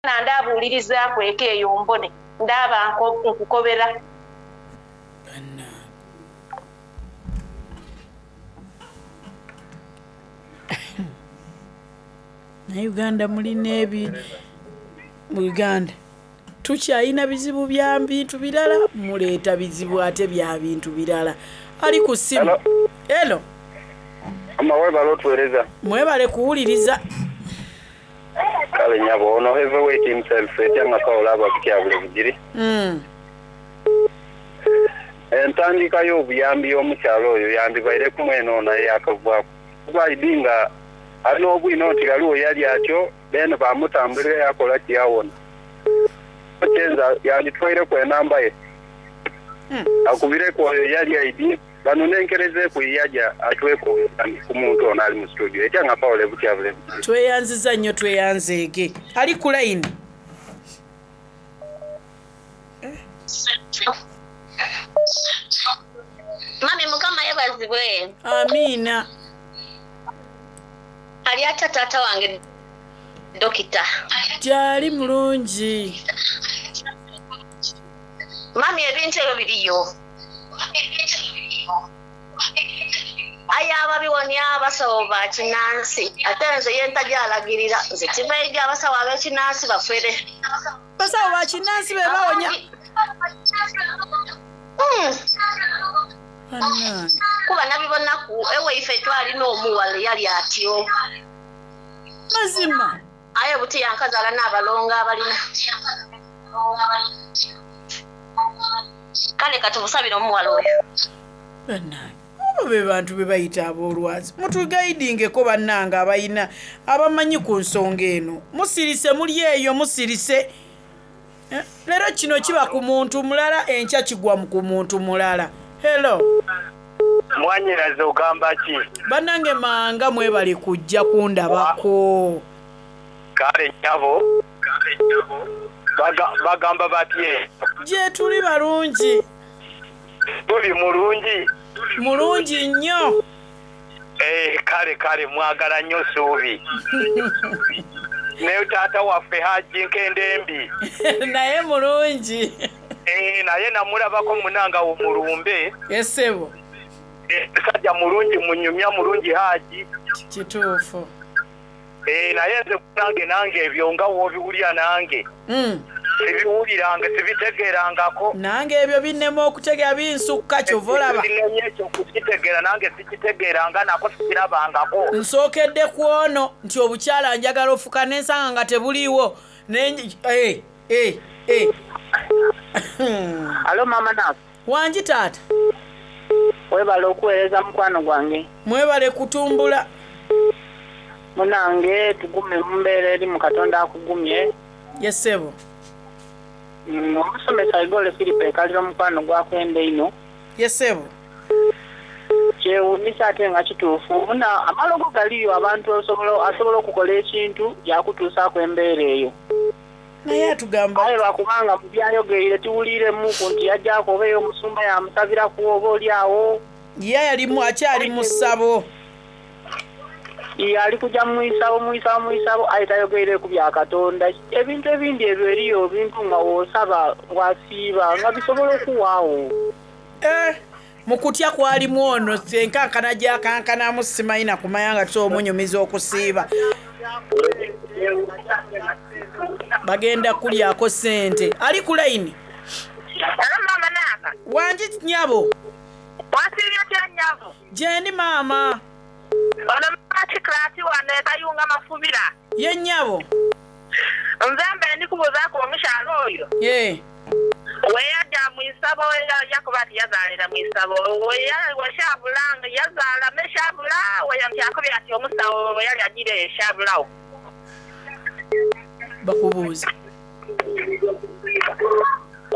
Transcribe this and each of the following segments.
Ndaabuulirizaaku eka eyo mbone, ndaaba nkukobera. Bannange. Naye Uganda mulina ebi mu Uganda tukyalina bizibu bya bintu birala, muleeta bizibu ate bya bintu birala. Ali ku ssimu. Hello. Mama webale otuwereza. Mwebale kuwuliriza. Kale nyabo ono Heavyweight himself etya nga Paul aba kutyabule Bugiri. Entandika y'obuyambi y'omukyala oyo yandibaireku mwene ono eyakavaaku kuba aidhi nga ali n'obwino nti ghaligho yali atyo then baamutambulira yakola ki yawona. Kyenza yanditwaireku enamba ye akubireku oyo eyali aidhi Banonenkerezeeku ye yaja atweku obuyambi ku muntu ono ali mu situdiyo. Etya nga Paul e Butyabule Bugiri. Tweyanziza nnyo tweyanzeege. Ali ku line. Mummy mukama yebazibwe. Amiina. Ali atya taata wange Dokita. Gyali mulungi. Mummy ebintu ebyo biriyo. Aye ababiwonia basawo ba kinansi ate nze ye ntaja alagirira nze kiva eri abasawo abekinansi bafere. Basawo ba kinansi be bawonya. Banange. Kuba nabibonaku ewaife twalina omuwala eyali atyo. Mazima. Aye buti yankazaala n'abalongo abalina. Kale katumusabire omuwala oyo. Bannange oba be bantu be bayita ab'olwazi mutugaidingeko bannange abalina abamanyi ku nsonga eno musirise muli eyo musirise eh, leero kino kiba ku muntu mulala enkya kigwa ku muntu mulala hello Mwanyinaze ogamba ki? Bannange manga mwebale kujja kundabako. Kale nyabo. Bagamba batye? Gyetuli balungi. Tuli mulungi? Mulungi nnyo. Eh, kale kale mwagala nnyo Suubi. Ne taata waffe Haji Nkendembi. Naye mulungi. Eh, naye namulabako munanga wo mulumbe. Esebo. Eh, musajja mulungi munyumya mulungi Haji. Kituufu. Eh, naye nze nange nange ebyo nga w'obiwulira nange Mm. sibiwuliranga sibitegeerangako. Nange ebyo binnema okutegeera binsukka kyova olaba. Binemye ekyo okukitegeera nange sikitegeeranga nako sikirabangako. Nsookedde ku ono nti obukyala njagala ofuka ne nsanga nga tebuliiwo ne eh, eh, eh. Alo maama Nafu. Wangi taata. Webale okuwereza mukwano gwange. Mwebale kutumbula. Munange tugume mumbeera erimu Katonda akugumye. Ye ssebo. Mm, omusomesa Igole Philip ekalira omukwano gwakwenda einho. Ye ssebo. Kyewunyisa ate nga kituufu muna amalogo galiyo abantu osobola asobola okukola ekintu yakutuusaku embeera eyo. Naye atugamba. Aye lwakubanga mu byayogeire tiwuliiremuku nti yajaku oba eyo omusumba yamusabiraku oba oli agho. Ye alimu akyali mu ssabo. Iye ali kuja mu isabo, mu isabo, mu isabo, aye tayogeireku bya Katonda. Ebintu ebindi ebyo eriyo ebintu nga w'osaba, wasiiba, nga bisobola okuwaagho. Eh, mu kutya kwalimu ono enkankana gy'akankanamu simanyi na kumanya nga tusobola omunyumiza okusiiba. Bagenda kulyako ssente. Ali ku layini. Hello maama Naaka. Wangi nnyabo. Wasiibye otya nnyabo? Gyendi maama. Ono maama Kikulaati wano e Kayunga Mafubira. Ye nnyabo. Nze mbe ndi kubuuzaaku omukyala oyo. Yee. Weyaja mu isabo yakoba ati yazaalira mu isabo. Weshabula yazaala me shabula nti akobye ati omusawo bweyali ajiire eshabulagho. Bakubuuza.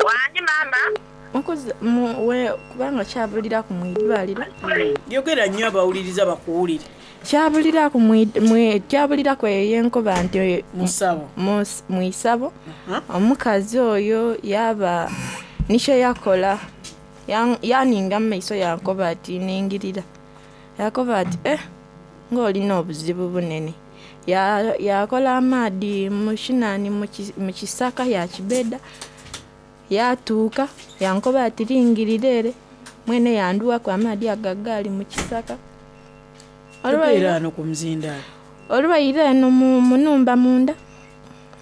Wangi maama. Mukuza, mu, we, kubanga kyabuliraku mu idwaliro. Yogera nnyo abawuliriza bakuwulire. Kyabuliraku mu, mu, kyabuliraku eyo yenkoba nti Mu ssabo. mu, mu isabo. Omukazi oyo yaaba ni kye yakola. Yaaninga mu maiso yankoba ati ningirira. Yakoba ati, Eh, ng'olina obuzibu bunene. Ya- Yakola amaadhi mu kinani mu ki- mu kisaka yakibeda yatuuka yankoba ati lingirira ere mwene yanduwaku amaadhi ago agaali mu kisaka. Tubeera ano ku muzindaalo. Olwaire eno mu mu numba munda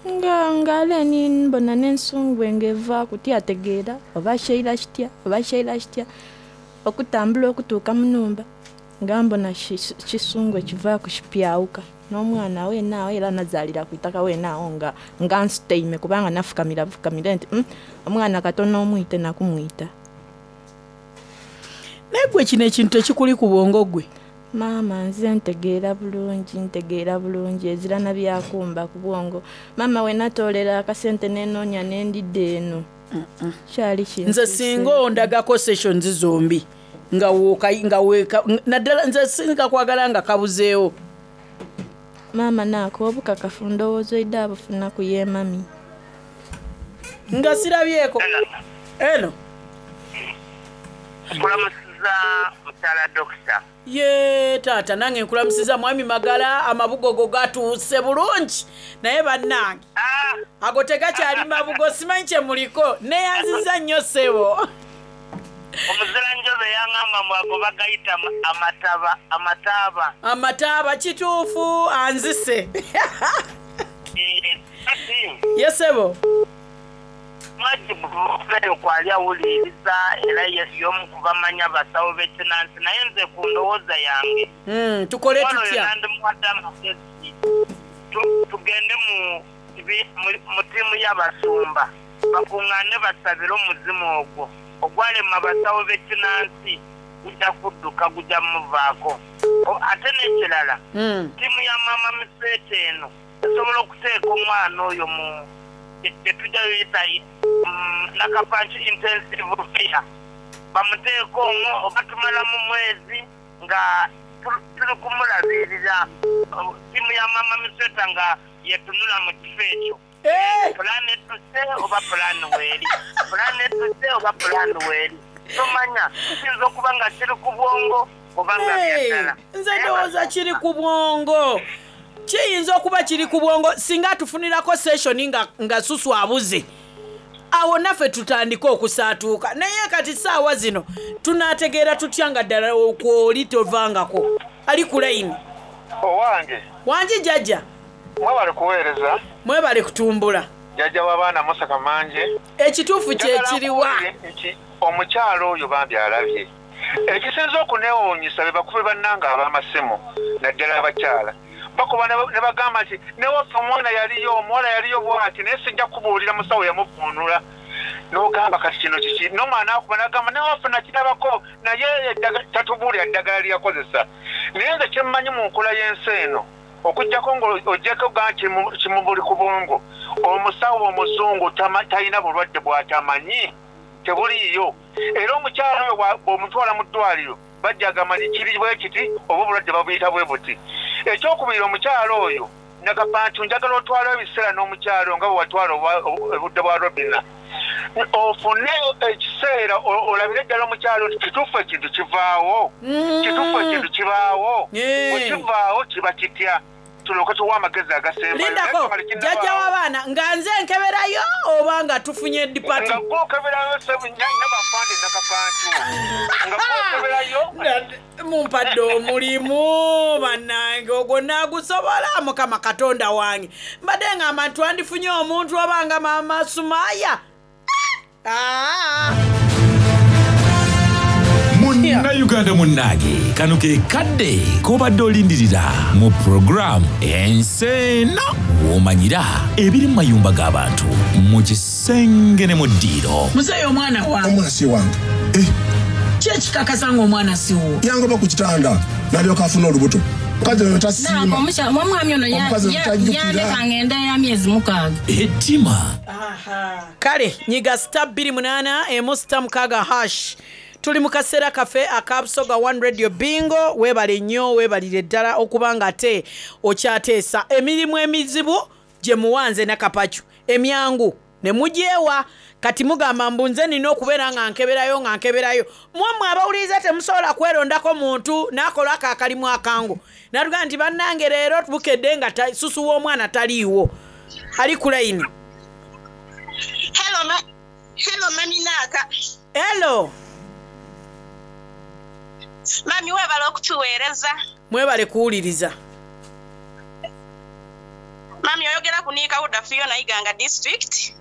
nga nga ale ni mbona n'ensungwe ng'evaaku tyategeera oba kyaira kitya oba kyaira kitya okutambula okutuuka mu numba nga mbona ki- kisungwe kivaaku kipyawuka n'omwana weena awo era nazaalira ku itaka weena awo nga nga nsutaime kubanga nafukamira bufukamire nti mm, omwana katono omwite nakumwita. Naye gwe kino ekintu tekikuli ku bwongo gwe? Maama nze ntegeera bulungi ntegeera bulungi ezira na byakumba ku bwongo. Maama we natoolera akasente nenoonya nendidda eno kyali Nze singa ondagako sessions zombi nga woka nga weka naddala nze singa kwagala nga kabuzeewo. Maama naako obukakafu ndowooza oidde abufuna ku ye mami. Nga sirabyeko. Eno. Nkulamusiza mukyala dokita. Ye taata nange nkulamusiza mwami Magala amabugo go gatuuse bulungi naye bannange ago tegakyali mabugo simanyi kye muliko neyanziza nnyo ssebo. Omuzira njobe yaŋŋamba mbu ago bagayita amataba amataaba. Amataaba kituufu anzise. Kati Ye ssebo. Mwajibu kwali awuliriza era y'omu ku bamanya abasawo b'ekinansi naye nze ku ndowooza yange Tukole omuwala oyo tutya? nandimuwadde amagezi tugende mu mu ttiimu y'abasumba bakuŋŋaane basabire omuzimu ogwo ogwalema abasawo b'ekinansi gujja kudduka gujja muvaako. Ate n'ekirala ttiimu ya maama Misweta eno esobola okuteeka omwana oyo mu gye tujja yita Nakapanki intensive care bamuteeka omwo oba tumalamu mwezi nga tuli kumulabirira ttiimu ya maama Misweta nga yetunula mu kifo ekyo. Pulaani ettuse oba pulaani weeri, pulaani ettuse oba pulaani weeri, tomanya kiyinza okuba nga kiri ku bwongo oba nga byaddala. Nze ndowooza kiri ku bwongo. Kiyinza okuba kiri ku bwongo singa atufunirako session nga, nga susu abuze awo naffe tutandike okusaatuuka naye kati saawa zino tunaategeera tutya nga ddala okwoli tovangako ali ku layini. Owange. Wangi jjajja. Mwebale kuweereza. Mwebale kutumbula. Jjajja w'abaana Musa Kamanje. Ekituufu kye kiriwa? Nti omukyalo oyo bambi alabye. Ekisinza okuneewuunyisa be bakubi bannange ab'amasimu naddala abakyala. Bakuba ne bagamba nti newaffe omwana yaliyo omuwala yaliyo bw'ati naye sijja kubuulira musawo yamuvuunula. N'ogamba kati kino kiki? N'omwana akuba n'agamba newaffe nakirabako naye tatubuulira ddagala lye yakozesa. Naye nze kye mmanyi mu nkola y'ensi eno okuggyako ng'oggyeko ga kimubuli ku bwongo omusawo omuzungu talina bulwadde bw'atamanyi tebuliiyo era omukyala oyo bw'omutwala mu ddwaliro bajja agamba nti kiri bwe kiti oba obulwadde babuyita bwe buti. Ekyokubiri omukyala oyo Nakapantu njagala otwale ebiseera n'omukyala nga bwe watwala obudde bwa Robina ofune ekiseera olabire ddala omukyala nti kituufu ekintu kivaawo kituufu ekintu kibaawo bwe kivaawo kiba kitya tulyoke tuwe amagezi agasembayo. Lindako jjajja w'abaana nga nze nkeberayo oba nga tufunye department. Nga gw'okeberayo nyabafande Nakapantu nga gw'okeberayo. Mumpadde omulimu bannange ogwo naagusobola Mukama Katonda wange. Mbadde ngamba nti twandifunye omuntu oba nga maama Sumaya. Munnayuganda munnange kano ke kadde k'obadde olindirira mu puroguramu Ensi Eno w'omanyira ebiri mu mayumba g'abantu mu kisenge ne mu ddiiro. Muzeeyi omwana wange. Omwana si wange. Ki ekikakasa ng'omwana si wuwo? Yangoba ku kitanda n'alyoka afuna olubuto. Omukazi oyo tasiima. Omwami ono Omukazi oyo tajjukira. yandeka ng'enda ya myezi 6. Ettima. Kale nyiga star 28 emu star 6 hash. Tuli mu kaseera kaffe aka Busoga One Radio Bingo. Weebale nnyo weebalire ddala okuba nga ate okyateesa emirimu emizibu gye muwanze Nakapacu emyangu Ne mugyewa. Kati mugamba mbu nze nina okubeera nga nkeberayo nga nkeberayo. Mwe abawuliriza temusobola kwerondako muntu n'akola ako akalimu akangu. Natugamba nti bannange leero bukedde nga susu w'omwana taliiwo. Ali ku layini. Hello, ma hello, mami Naaka. Hello. Mami webale okutuweereza. Mwebale kuwuliriza. Mami oyogera ku Niika Huda Fiona Iganga district.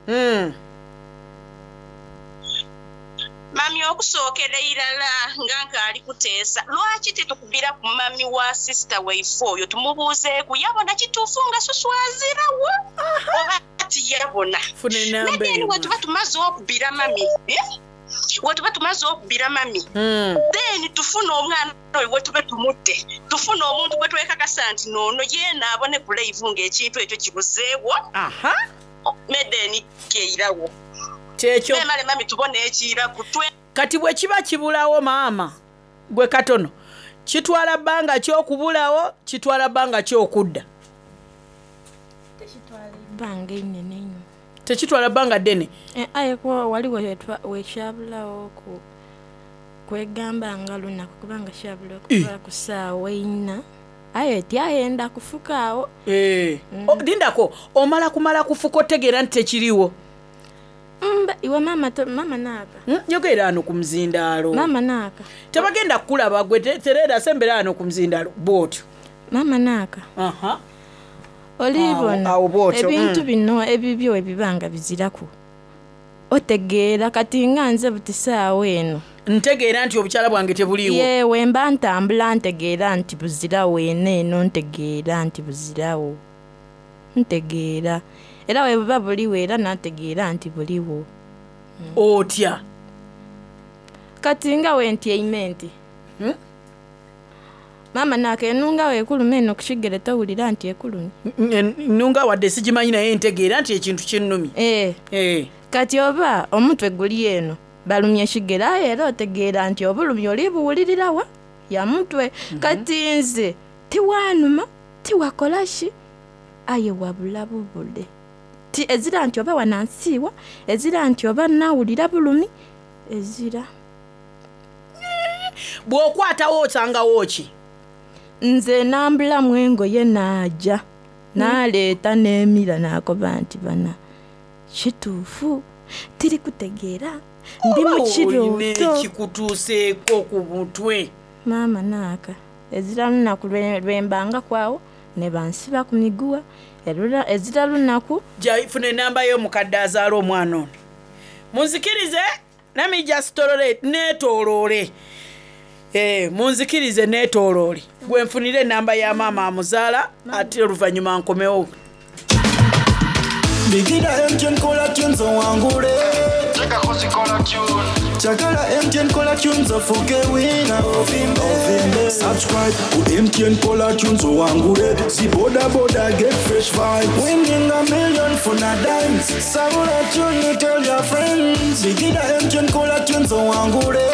Mami okusookera irala nga nkaali kuteesa lwaki titukubira ku mami wa sister waife oyo tumubuuzeeku yabona kituufu nga susu azirawo oba tiyabona. Funa enamba Naye eyo. wetuba tumaze okubira mami eh? Wetuba tumaze okubira mami then tufune omwana oyo wetube tumutte tufune omuntu gwe twekakasa nti noono yeena abone ku live ng'ekintu ekyo kibuzeewo medeni keirawo Kyekyo. memale mami tubone ekiraku twe Kati bwe kiba kibulawo maama gwe katono kitwala bbanga ki okubulawo kitwala bbanga ki okudda? Ebbanga einene inho. Tekitwala bbanga ddene. Eh, aye kuba waliwo wekyabulawo ku kwegamba nga lunaku kubanga kyabula okuva ku ssaawa eina aye tyayenda kufuka awo. Eh. Lindako omala kumala kufuka otegeera nti tekiriiwo. Mba iwe maama maama naaka. Yogera ano ku muzindaalo. Maama naaka. Tebagenda kukulaba gwe tereera sembera ano ku muzindaalo bw'otyo. Maama naaka. Aha. Olibona Awo bw'otyo, ebintu bino ebibyo ebiba nga biziraku otegeera kati nga nze buti saawa eno ntegeera nti obukyala bwange tebuliiwo. Ye wemba ntambula ntegeera nti buzirawo eno eno ntegeera nti buzirawo ntegeera era we buba buliwo era nategeera nti buliwo. Otya? Kati nga wentyaime nti maama naaka enunga weekuluma eno ku kigere towulira nti ekulumye. Ennunga wadde sigimanyi naye ntegeera nti ekintu kinnumye. Eh. Kati oba omutwe guli eno balumye ekigere aye era otegeera nti obulumi oli buwulirirawa ya mutwe. Kati nze tiwanuma tiwakola ki aye wabula bubule ti ezira nti oba wanansiiwa ezira nti oba nawulira bulumi ezira. Bw'okwatawo osangawo ki? Nze nambulamu engoye naaja naleeta n'emira nakoba nti bana kituufu tiri kutegeera ndi mu Oba olina kirooto. ekikutuuseeko ku mutwe. Maama naaka ezira lunaku lwembanga kwawo ne bansiba ku miguwa ezira lunaku. Funa enamba y'omukadde azaala omwana ono. Munzikirize let me just tolerate neetooloole. Munzikirize neetooloole. Gwe nfunire enamba ya maama amuzaala ate oluvannyuma nkomewo. Bigida MTN kola tunes owangule. Chakala MTN kola tunes ofuke wina ovimbe. Subscribe ku MTN kola tunes owangule. Si boda boda get fresh vibes. Winning a million for na dimes. Sabula tune tell your friends. Bigida MTN kola tunes owangule.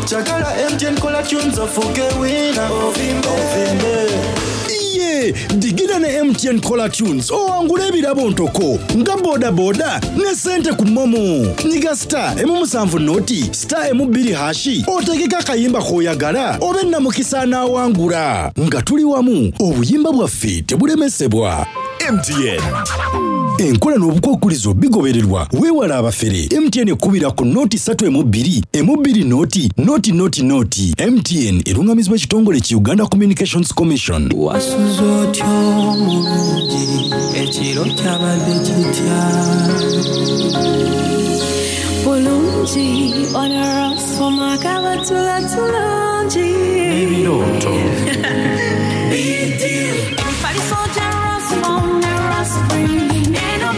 Chakala MTN kola tunes ofuke wina ovimbe. Iye digida ne MTN Caller Tunes owangula ebirabo ntoko nga bodaboda ne sente ku momo. Nyiga star emu musanvu noti star emu bbiri hashi otegeke akayimba k'oyagala obe namukisa anaawangula. Nga tuli wamu obuyimba bwaffe tebulemesebwa. MTN enkola n'obukwakulizo bigobererwa weewala abafere. MTN ekubira ku noti 3 emu 2 emu 2 noti noti noti noti. MTN erungamizibwa ekitongole ki Uganda Communications Commission. Wasuze otya omulungi ekiro kyabadde kitya? Bulungi onarasoma kabatula tulungi. Ebirooto. Emifaliso gya Rasmom ne Rasfree eno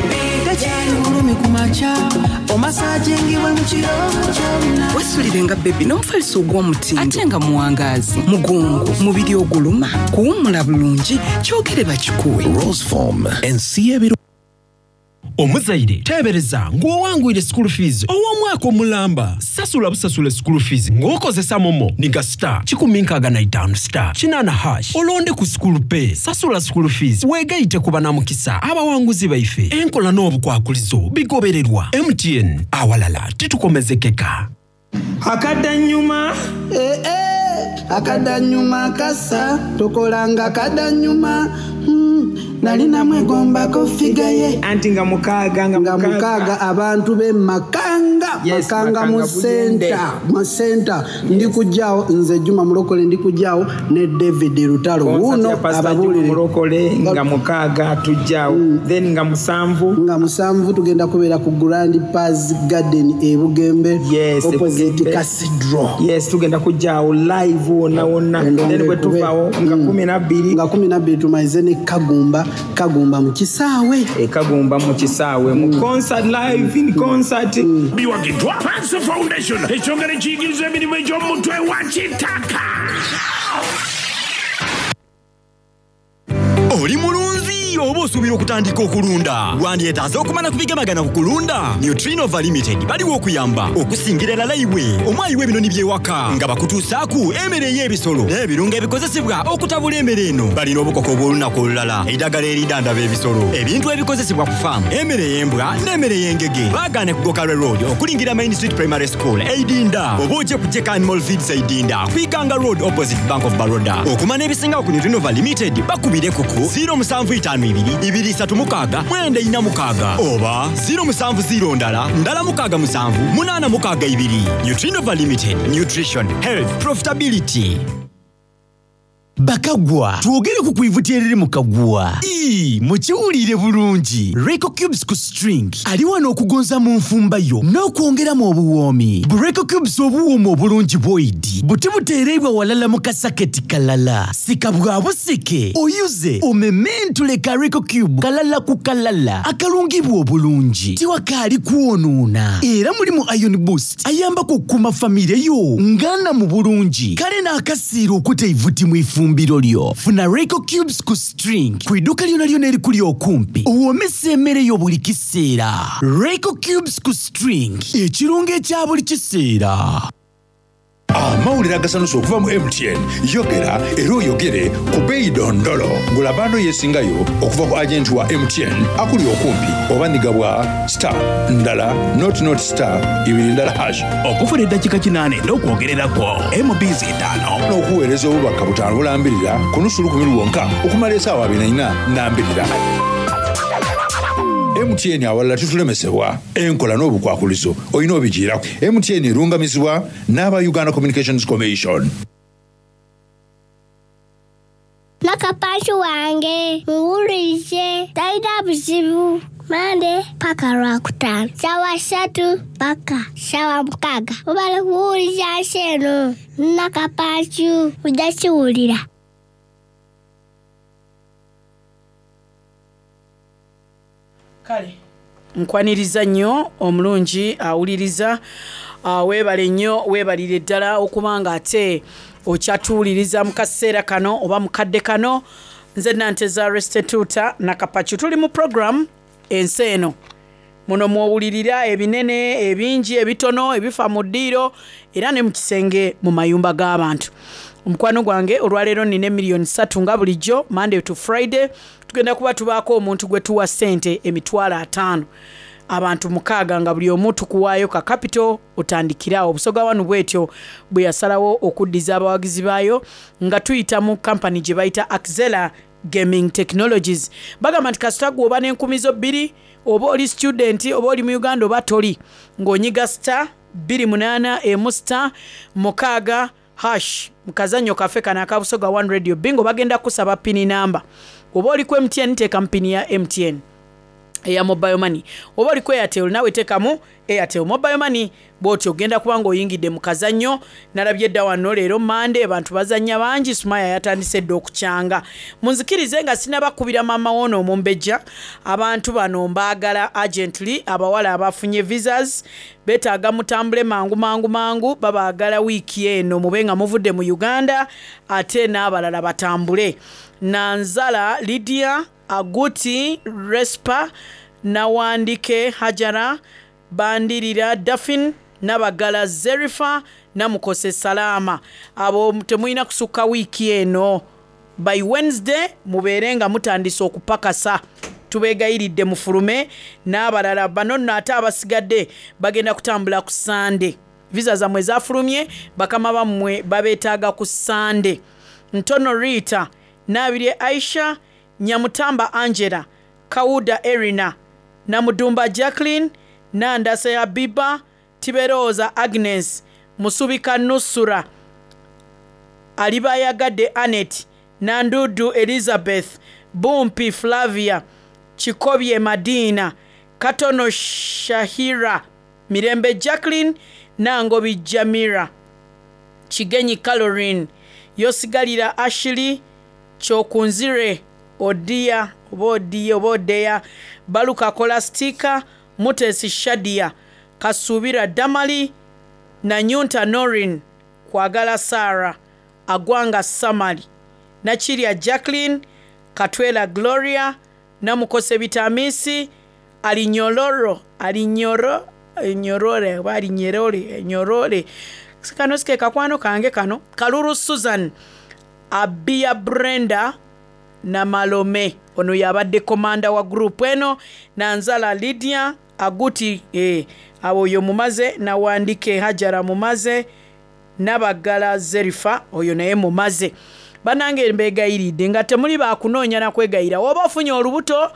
Tekyali bulumi ku makya omasajingibwe mu kiro kyonna. Wesulire nga bebi n'omufaliso ogw'omutindo ate nga muwangaazi mugongo mubiri oguluma kuwummula bulungi kyogere bakikuwe. Roseform ensi y'ebiro. Omuzaire teebereza ng'owangwire school fees ow'omwaka omulamba. Sasula busasule school fees ng'okozesa momo niga star 165 star kinaana hash olonde ku school pay. Sasula school fees weegaite ku banamukisa abawanguzi baife. Enkola n'obukwakulizo bigobererwa. MTN, awalala titukomezekeka. Akadanyuma. Eh, eh, akadanyuma kasa tokolanga kadanyuma nali namwegombako figa ye anti nga mukaaga nga mukaaga abantu be makanga Yes, makanga mu Makanga Buyende. senta mu senta ndi kujjaawo nze Juma Mulokole ndi kujjaawo ne David Lutalo Concert wuuno ya Pastor Juma ababuulire Mulokole nga mukaaga tujjaawo then nga musanvu nga musanvu tugenda kubeera ku Grand Paz Garden e Bugembe yes, opposite Bugembe. Cathedral yes tugenda kujjaawo live wonna wonna then bwe tuvaawo nga kumi nabbiri nga kumi nabbiri tumalize ne Kagumba Kagumba mu kisaawe e Kagumba mu kisaawe mu concert live in concert biwagiddwa Panso Foundation ekyongera ekiyigiriza emirimu egy'omutwe wa kitaka Oli mulunzi oba osuubira okutandika okulunda wandyetaaze okumala ku bigemagana ku kulunda Nutrinova Limited baliwo okuyamba okusingira erala iwe omwayi w'ebinoni by'ewaka nga bakutuusaaku emmere ey'ebisolo n'ebirungo ebikozesebwa okutabula emmere eno balina obukoko obw'olunaku olulala eddagala eridandaba ebisolo ebintu ebikozesebwa ku faamu emmere ey'embwa n'emmere ey'engege baagaane ku Gokalwe Road okulingira Main Street Primary School Eidinda oba ojje ku Jeka Animal Feeds Eidinda ku Iganga Road opposite Bank of Baroda okumanya ebisingawo ku Nutrinova Limited bakubire ku ku 0752 236 946 oba 070 ndala ndala 67 862 Nutrinova Limited Nutrition Health Profitability Bakagwa twogere ku kwivuti eriri mu kagwa Ii, mukiwulire bulungi Reco Cubes ku string ali wano okugonza mu nfumba yo n'okwongeramu obuwoomi bu Reco Cubes obuwooma obulungi bwoidi buti buteereibwa walala mu kasaketi kalala sika bwa busike oyuze omementule ka Reco Cube kalala ku kalala akalungibwa obulungi tiwakaali kwonoona era mulimu iron boost ayambako okukuuma famire yo ngana mu bulungi kale n'akasiira okuta eivuti mu ifumbiro lyo funa Reco Cubes ku string ku idduuka lyona lyona erikuli okumpi owoomesa emmere yo buli kiseera Reco Cubes ku string ekirungo ekya buli kiseera amawulire agasanusa okuva mu mtn yogera era oyogere ku beeyi dondolo gula bando yeesingayo okuva ku agenti wa mtn akuli okumpi oba nigabwa star ndala not not star ibiri ndala hash okufuna eddakiika kinaana n'okwogererako mbs etaano n'okuweereza obubaka butaano bulambirira ku nusu lukumi lwonka okumala esaawa abiri na ina nambirira mtn awalala tutulemesebwa enkola n'obukwakulizo olina obigiirako mtn erungamizibwa n'aba uganda communications commission Nakapansi wange muwulirize talina buzibu mande paka lwakutaano sawa ssatu paka sawa mukaaga obala kuwuliriza nsi eno nakapansi ojja kiwulira. Kale nkwaniriza nnyo omulungi awuliriza weebale nnyo weebalire ddala okuba nga ate okyatuwuliriza mu kaseera kano oba mu kadde kano nze Nanteza Restituta Nakapacu tuli mu program ensi eno muno mwowulirira ebinene ebingi ebitono ebifa mu ddiiro era ne mu kisenge mu mayumba g'abantu omukwano gwange olwaleero nina emiliyoni ssatu nga bulijjo Monday to Friday tugenda kuba tubaako omuntu gwe tuwa ssente emitwalo ataano abantu mukaaga nga buli omu tukuwaayo ka capital otandikiraawo Busoga wanu bwetyo bwe yasalawo okuddiza abawagizi baayo nga tuyita mu kampani gye bayita Axela Gaming Technologies bagamba nti kasita gwe oba n'enkumi zo bbiri oba oli student oba oli mu Uganda oba toli ng'onyiga star bbiri munaana emu star mukaaga hash mu kazannyo kaffe kano aka Busoga One Radio Bingo bagenda kusaba pini namba oba oli ku MTN teekamu pini ya MTN eya mobile money oba oli ku Airtel nawe teekamu Airtel mobile money bw'otyo ogenda kuba ng'oyingidde mu kazannyo nalabye dda wano leero Mande abantu bazannya bangi Sumaya yatandise dda okukyanga munzikirize nga sinabakubira maama woono omumbejja abantu bano mbaagala urgently abawala abafunye visas beetaaga mutambule mangu mangu mangu babaagala wiiki eno mube nga muvudde mu Uganda ate n'abalala batambule Nanzala Lydia Aguti Respa Nawandike Hajara, Bandirira Daphine, Nabagala Zerifa, Namukose Salaama. Abo temulina kusukka wiiki eno. By Wednesday mubeere nga mutandise okupakasa. Tubeegayiridde mufulume n'abalala. Bano nno ate abasigadde bagenda kutambula ku Ssande. Visa zammwe zafulumye, bakama bammwe babeetaaga ku Ssande. Ntono Rita, Nabirye Aisha, Nyamutamba Angela, Kawuda Erina, Namudumba Jacqueline, Nandase Habiba, Tiberooza Agnes, Musubika Nusura, Alibayagadde Annet, Nandudu Elizabeth, Bumpi Flavia, Kikobye Madina, Katono Shahira, Mirembe Jacqueline, Nangobi Jamira, Kigenyi Caroline, Yosigalira Ashley, Kyokunzire Odia oba Odiya oba Odeya, Baluka Kolastika, Mutesi Shadia, Kasuubira Damali, Nanyunta Norin, Kwagala Sarah, Agwanga Samali, Nakirya Jacqueline, Katwela Gloria, Namukose Bitamisi, Alinyoloro, Alinyoro, Nyorore oba Alinyerore, Nyorore. Kano si ke kakwano kange kano. Kalulu Susan, Abia Brenda Namalome. Ono y'abadde komanda wa group eno. Nanzala Lydia Aguti, abo oyo mumaze. Nawandike Hajara mumaze. Nabagala Zerifa oyo naye mumaze. Bannange mbeegayiridde nga temuli bakunoonya na kwegayira. Oba ofunye olubuto,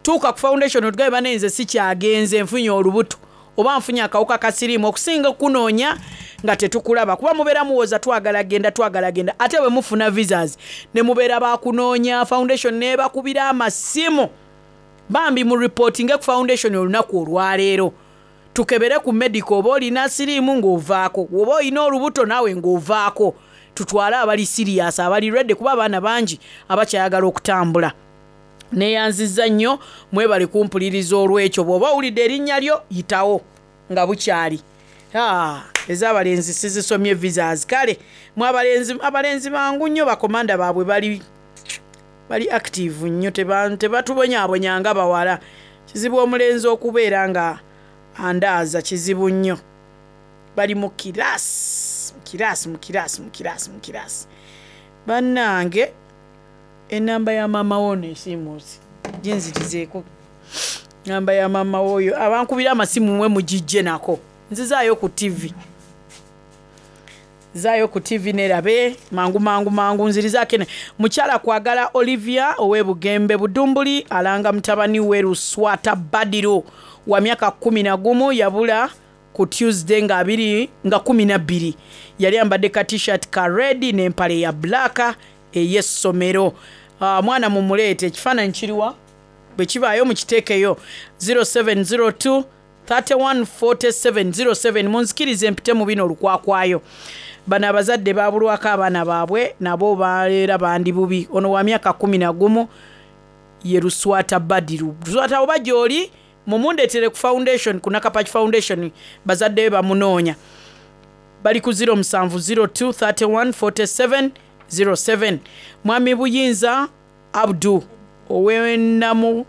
tuuka ku foundation otugabe banne nze sikyagenze nfunye olubuto oba nfunye akawuka ka siriimu, okusinga okunoonya nga tetukulaba, kuba mubeera muwoza twagala genda, twagala genda, ate bwe mufuna visas ne mubeera bakunoonya, foundation neebakubira amasimu. Bambi mu reportinge ku foundation olunaku olwaleero, tukebere ku medical oba olina siriimu ng'ovaako, oba olina olubuto naawe ng'ovaako, tutwale abali serious, abali ready, kuba abaana bangi abakyayagala okutambula. Neeyanzizza nnyo, mwebale kumpuliriza olw'ekyo. Bw'oba owulidde erinnya lyo, yitawo nga bukyali. Ez'abalenzi sizisomye visas. Kale mwe abalenzi, abalenzi bangu nnyo, bakomanda baabwe bali bali active nnyo, tebatubonyaabonya nga bawala. Kizibu omulenzi okubeera nga andaaza, kizibu nnyo. Bali mu kiraasi, mu kiraasi, mu kiraasi, mu kiraasi, mu kiraasi. Bannange, enamba ya maama wo nesiimuusi ginzirizeeko. Namba ya maama woyo abankubira amasimu mwe mugijje nako. Nzizaayo ku TV, zaayo ku TV nerabe mangu mangu mangu. Nzirizaako ene. Mukyala Kwagala Olivia ow'e Bugembe Budumbuli alanga mutabani we Luswata Badiru wa myaka 11, yabula ku Tuesday nga abiri nga 12. Yali ambadde ka T-shirt ka red n'empale ya black ey'essomero. Mwana mumuleete. Ekifaananyi kiriwa? Bwe kibaayo mukiteekeyo. 0702 314707. Munzikirize mpite mu bino olukwakwayo. Bano abazadde babulwako abaana baabwe, nabo baleera bandi bubi. Ono wa myaka 11 ye Luswata Badiru. Luswata, oba gy'oli, mumundeetere ku foundation, ku Nakapach Foundation. Bazadde be bamunoonya, bali ku 0702 31 47 07. Mwami Buyinza Abdu owenamu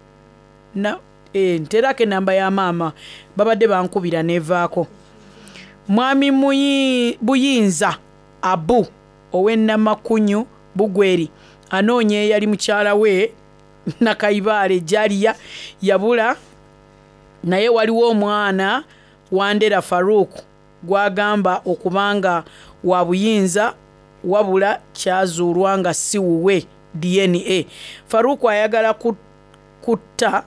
na nterako enamba ya maama, babadde bankubira nevaako. Mwami Buyinza Abu ow'enamakunyu Bugweri anoonya eyali mukyala we Nakayibaale Jaliya, yabula. Naye waliwo omwana Wandera Farouk gwagamba okubanga wa Buyinza, wabula kyazuulwa nga si wuwe DNA. Farouk ayagala kutta,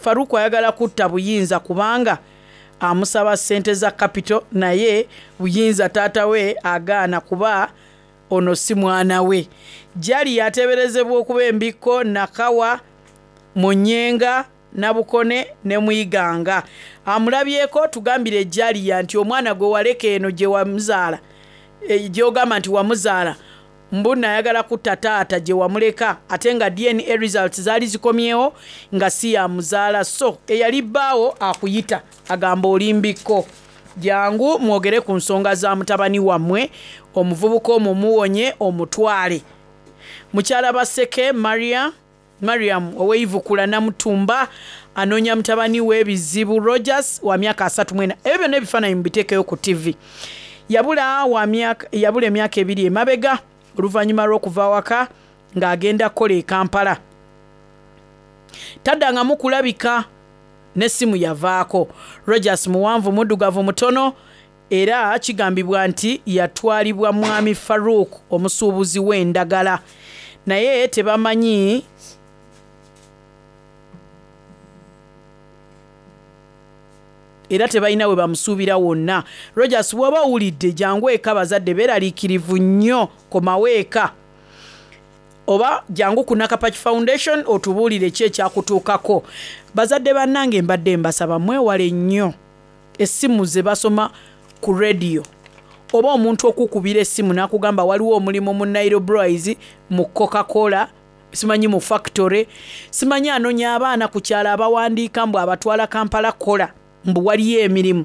Farouk ayagala kutta Buyinza kubanga amusaba ssente za capital, naye Buyinza taata we agaana kuba ono si mwana we. Jali yateeberezebwa okuba embikko Nakawa Munyenga Nabukone ne Mwiganga. Amulabyeko tugambire Jaliya nti omwana gwe waleka eno gye wamuzaala, gyogamba nti wamuzaala, mbu nayagala kutta taata gye wamuleka, ate nga DNA results zaali zikomyewo nga si yamuzaala. So eyali bbaawo akuyita agamba olimbikko, jangu mwogere ku nsonga za mutabani wammwe, omuvubuka omwo muwonye omutwale. Mukyala Baseke Maria Mariam ow'eivukula Namutumba anoonya mutabani we Bizibu Rogers wa myaka 34. Ebyo byonna ebifaananyi mubiteekeyo ku ttivi. Yabula wa myaka yabula emyaka ebiri emabega oluvannyuma lw'okuva awaka ng'agenda kukola e Kampala. Taddangamu kulabika n'essimu yavaako. Rogers muwanvu muddugavu mutono era kigambibwa nti yatwalibwa Mwami Farouk omusuubuzi w'endagala naye tebamanyi era tebalina we bamusuubira wonna. Rogers bw'oba owulidde jangu eka bazadde beeraliikirivu nnyo komawo eka oba jangu ku Nakapaki Foundation otubuulire ki ekyakutuukako. Bazadde bannange mbadde mbasaba mwewale nnyo essimu ze basoma ku radio oba omuntu okukubira essimu n'akugamba waliwo omulimu mu Nile Breweries, mu Coca Cola, simanyi mu factory, simanyi anonya abaana ku kyalo abawandiika mbu abatwala Kampala kukola mbu waliyo emirimu.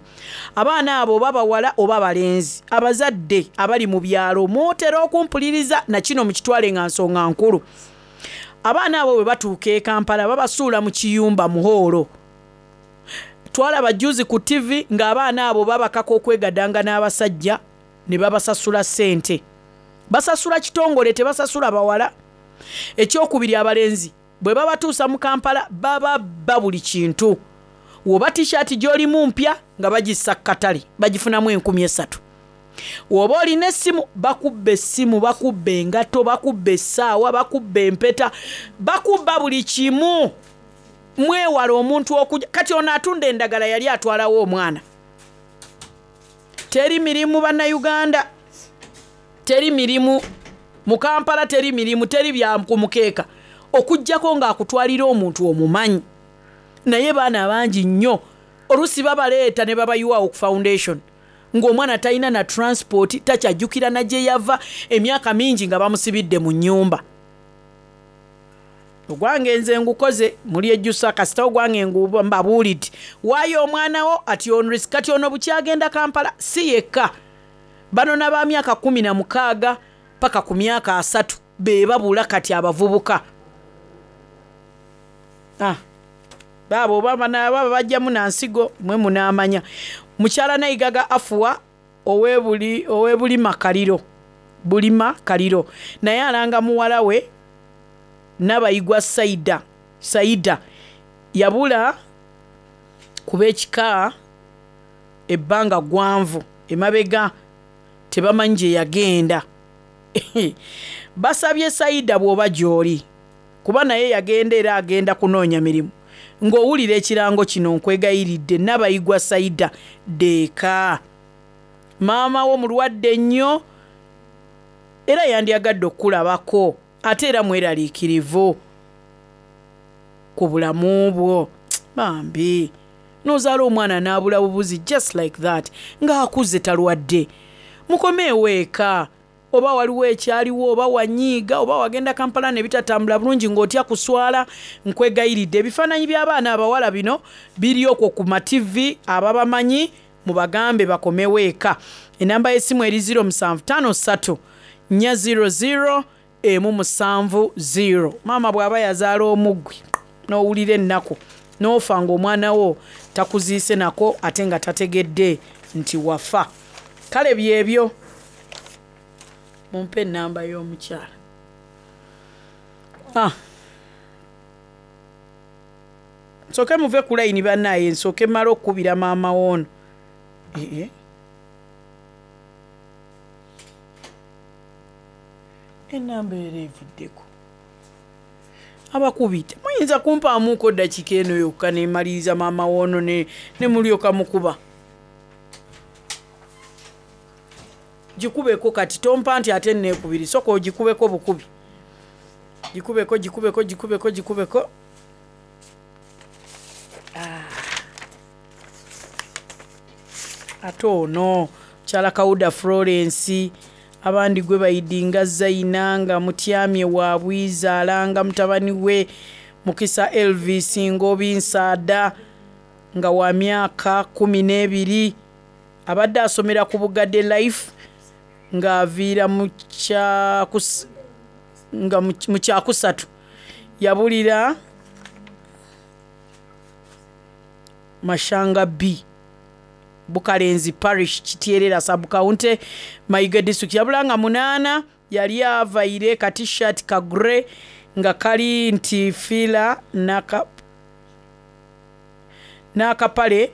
Abaana abo oba bawala oba balenzi, abazadde abali mu byalo mutera okumpuliriza na kino mukitwale nga nsonga nkulu. Abaana abo bwe batuuka e Kampala babasuula mu kiyumba mu hoolo. Twalaba jjuuzi ku ttivi ng'abaana abo babakaka okwegadanga n'abasajja ne babasasula ssente. Basasula kitongole tebasasula bawala. Ekyokubiri abalenzi bwe babatuusa mu Kampala bababba buli kintu. Woba t-shirt gy'olimu mpya nga bagissa ku katale bagifunamu 3000. Woba olina essimu bakubba essimu, bakubba engatto, bakubba essaawa, bakubba empeta, bakubba buli kimu. Mwewale omuntu okuja kati ono atunda endagala yali atwalawo omwana. Teri mirimu bannayuganda, teri mirimu mu Kampala, teri mirimu, teri bya ku mukeeka okuggyako ng'akutwalira omuntu omumanyi. Naye baana bangi nnyo oluusi babaleeta ne babayiwaawo ku foundation ng'omwana talina na transport, takyajjukira na gye yava, emyaka mingi nga bamusibidde mu nnyumba. Ogwange nze ngukoze mulyejjusa kasita ogwange mbabuulidde waayo omwana wo at your own risk. Kati ono bukyagenda Kampala si yekka, bano na ba myaka 16 paka ku myaka 30 be babula kati abavubuka. Baabo oba baba bajjamu na nsigo mwe munaamanya. Mukyala Nayigaga Afuwa ow'e Bulima Kaliro, Bulima Kaliro naye alanga muwala we Nabayigwa Saida. Saida yabula kuba ekika ebbanga gwanvu emabega tebamanyi gye yagenda. Basabye Saida bw'oba gy'oli kuba naye yagenda era agenda kunoonya mirimu ng'owulira ekirango kino nkwegayiridde Nabayigwa Saida ddeeka maama wo mulwadde nnyo era yandyagadde okukulabako ate era mweraliikirivu ku bulamu bwo. Bambi n'ozaala omwana n'abula bubuzi just like that ng'akuze talwadde. Mukomeewo eka oba waliwo ekyaliwo oba wanyiiga oba wagenda Kampala ne bitatambula bulungi ng'otya kuswala, nkwegayiridde. Ebifaananyi by'abaana abawala bino biri okwo ku mativi, ababamanyi mubagambe bakomewo eka. Enamba y'essimu eri 0753 400 170. Maama bw'aba yazaala omuggwi n'owulira ennaku n'ofa ng'omwana wo takuziise nako ate nga tategedde nti wafa. Kale byebyo, mumpe enamba y'omukyala. Nsooke muve ku layini bannaaye, nsooke mmale okukubira maama woono. Ee enamba era evuddeko abakubi temuyinza kumpaamuuko ddakiika eno yokka nemaliriza maama woono ne mulyoka mukuba. Gikubeko kati tompa nti ate neekubiri, soka ogikubeko bukubi, gikubeko gikubeko gikubeko gikubeko. Ate ono mukyala Kawuda Florence abandi gwe bayidinga Zaina nga mutyamye wa Bwiza alanga mutabani we Mukisa Elvis Ngobi Nsaada nga wa myaka 12 abadde asomera ku Bugadde Life ng'aviira mu kyakusatu. Yabulira Mashanga B, Bukalenzi Parish, Kityerera Sub-County, Mayuge District. Yabula nga munaana, yali avaire ka T-shirt ka grey nga kali nti fila n'akapale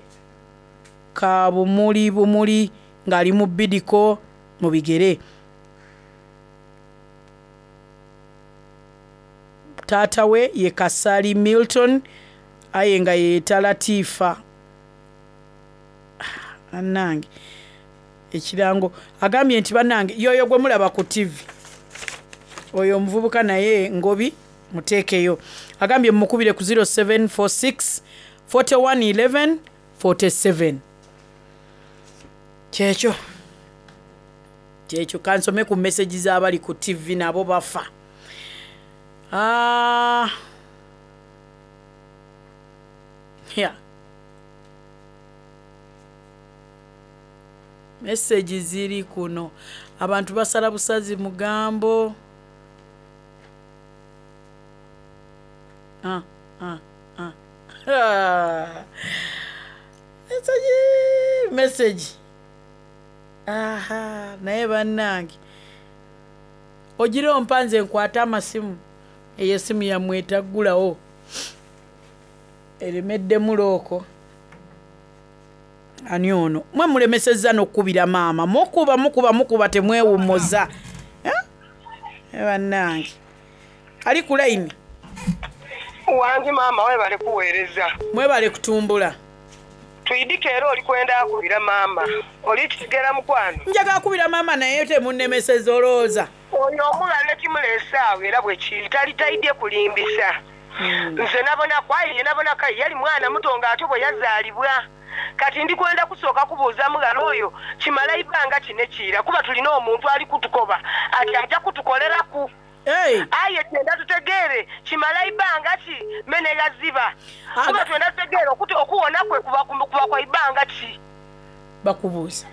ka bumuli bumuli ng'ali mu bidiko mu bigere. Taata we ye Kasali Milton aye nga yeeyeta Latifa. Bannange ekirango agambye nti bannange y'oyo gwe mulaba ku ttivi oyo omuvubuka naye Ngobi muteekeyo. Agambye mumukubire ku 0746 41 11 47. Kyekyo kyekyo kansome ku message z'abali ku ttivi nabo bafa. Ah. Yeah. Message ziri kuno. Abantu basala busazi mugambo. Ah, ah, ah. Message, message. Aha, naye bannange. Ogira ompa nze nkwate amasimu. Eyo essimu yammwe etaggulawo. Eremeddemu looko. Ani ono? Mwe mulemesezza n'okukubira maama. Mukuba, mukuba, mukuba temwewummuza. Eh? Bannange. Ali ku layini. Wangi maama webale kuweereza. Mwebale kutumbula. Twidike era oli kwenda akubira maama. Oli kitegera mukwano. Njagala kubira maama naye temunnemesezza olowooza. Oyo omulala kimuleese awo era bwe kiri tali taidye kulimbisa. Nze nabona kwaye nabona kayi yali mwana muto ng'ate bwe yazaalibwa. Kati ndi kwenda kusooka kubuuza mughala oyo kimala ibanga kino kiira kuba tulina omuntu ali kutukoba ati ajja kutukoleraku. Aye twenda tutegeere kimala ibanga ki mene gaziba. Kuba twenda tutegeere okuwona kwe kuba kwa ibanga ki. Bakubuuza.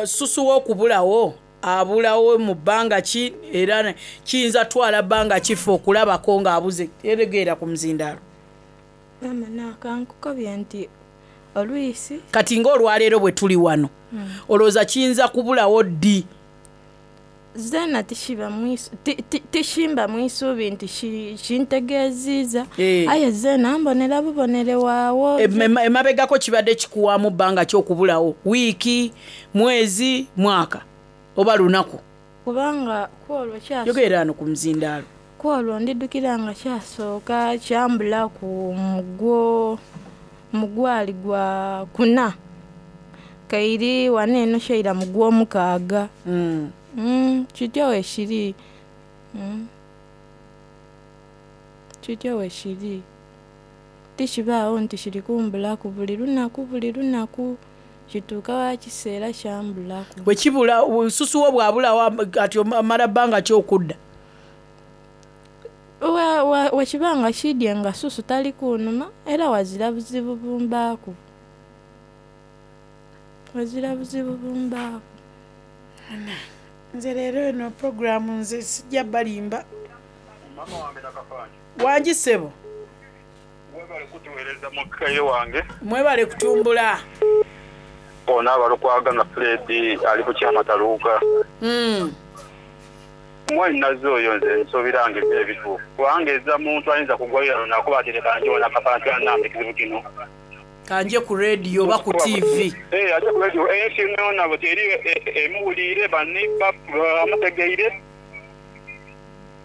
Susu w'okubulawo abulawo mu bbanga ki era kiyinza twala bbanga ki ffe okulabako ng'abuze eregeera ku muzindaalo. Maama nakankukobye nti olwisi. Kati ng'olwaleero bwe tuli wano olowooza kiyinza kubulawo ddi? Zeena tishimba mwisuubi nti kintegeeziiza. Aye zeena mbonera bubonere waawo. Emabegako kibadde kikuwaamu bbanga ki okubulawo? Wiiki, mwezi, mwaka oba lunaku? Kubanga kwolwo Yogerera wano ku muzindaalo. Kwolwo ndidukira nga kyasooka kyambula ku mugwali gwa kuna. Kairi wano eno kyaira mu gw'omukaaga. Kityo wekiri. Kityo wekiri. Tikibaawo nti kiri kumbulaku buli lunaku buli lunaku. Kituuka wa kiseera kyambulaku. Bwe kibula obususu bwo bwabulawo ati omala bbanga ki okudda? Wekibanga kidye nga susu tali kunuma era wazira buzibu bumbaaku. Wazira buzibu bumbaaku. Nze leero eno puroguraamu nze sijja balimba. Mama wange Nakafanyi. Wangi ssebo. Mwebale kutuweereza mukaire wange. Mwebale kutumbula. Ono abalukwaga nga Fred ali ku kyamataluuka. Mwannyinaze oyo nze nsuubira nga ebyo ebituufu. Kubanga eza muntu ayinza kugwalira lunaku ati leka nje Nakafanyi annambe ekizibu kino. Kanje ku radio oba ku TV. Aje ku radio ensi yonna bwe eri emuwuliire banne bamutegeire.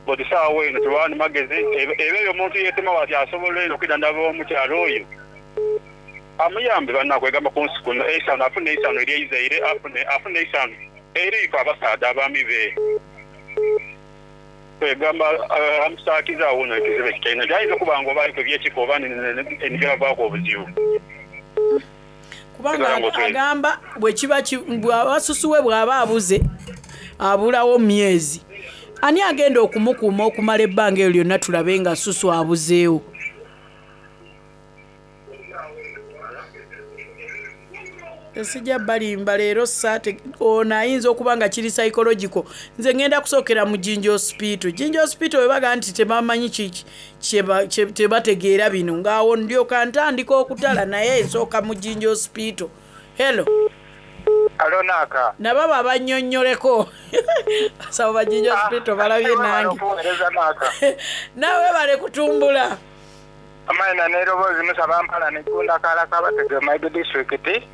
Buli ssaawa eno tewaani magezi eba eyo omuntu yeetema bw'ati asobola eno okidandaba omukyala oyo. Amuyambe bannakwegamba ku nsi kuno eisano afune eisano eryeizaire afune eisano eriiko abasaadha abaami be. Kwegamba amusaakiza awo nno ekizibu ekyo kyalina nti ayinza okuba nga oba aliko ebyekika oba nibyavaako obuzibu. Kubanga agamba bwe kiba bw'aba susu we bw'aba abuze abulawo myezi. Ani agenda okumukuuma okumala ebbanga eryo lyonna tulabe nga susu abuzeewo? Sijja balimba leero saate ono ayinza okuba nga kiri psychological. Nze ngenda kusookera mu Jinja Hospital. Jinja Hospital bwe bagamba nti tebamanyi kiki tebategeera bino ng'awo ndyoka ntandika okutala naye nsooka mu Jinja Hospital. Hello. Alo Naaka. Nabo babannyonnyoleko. Abasawo ba Jinja Hospital balabye nange. Okuweereza Naaka. Naawe webale kutumbula. Amayina n'eroboozi musaba mpala neggunda kaala kabatege Maido disitulikiti.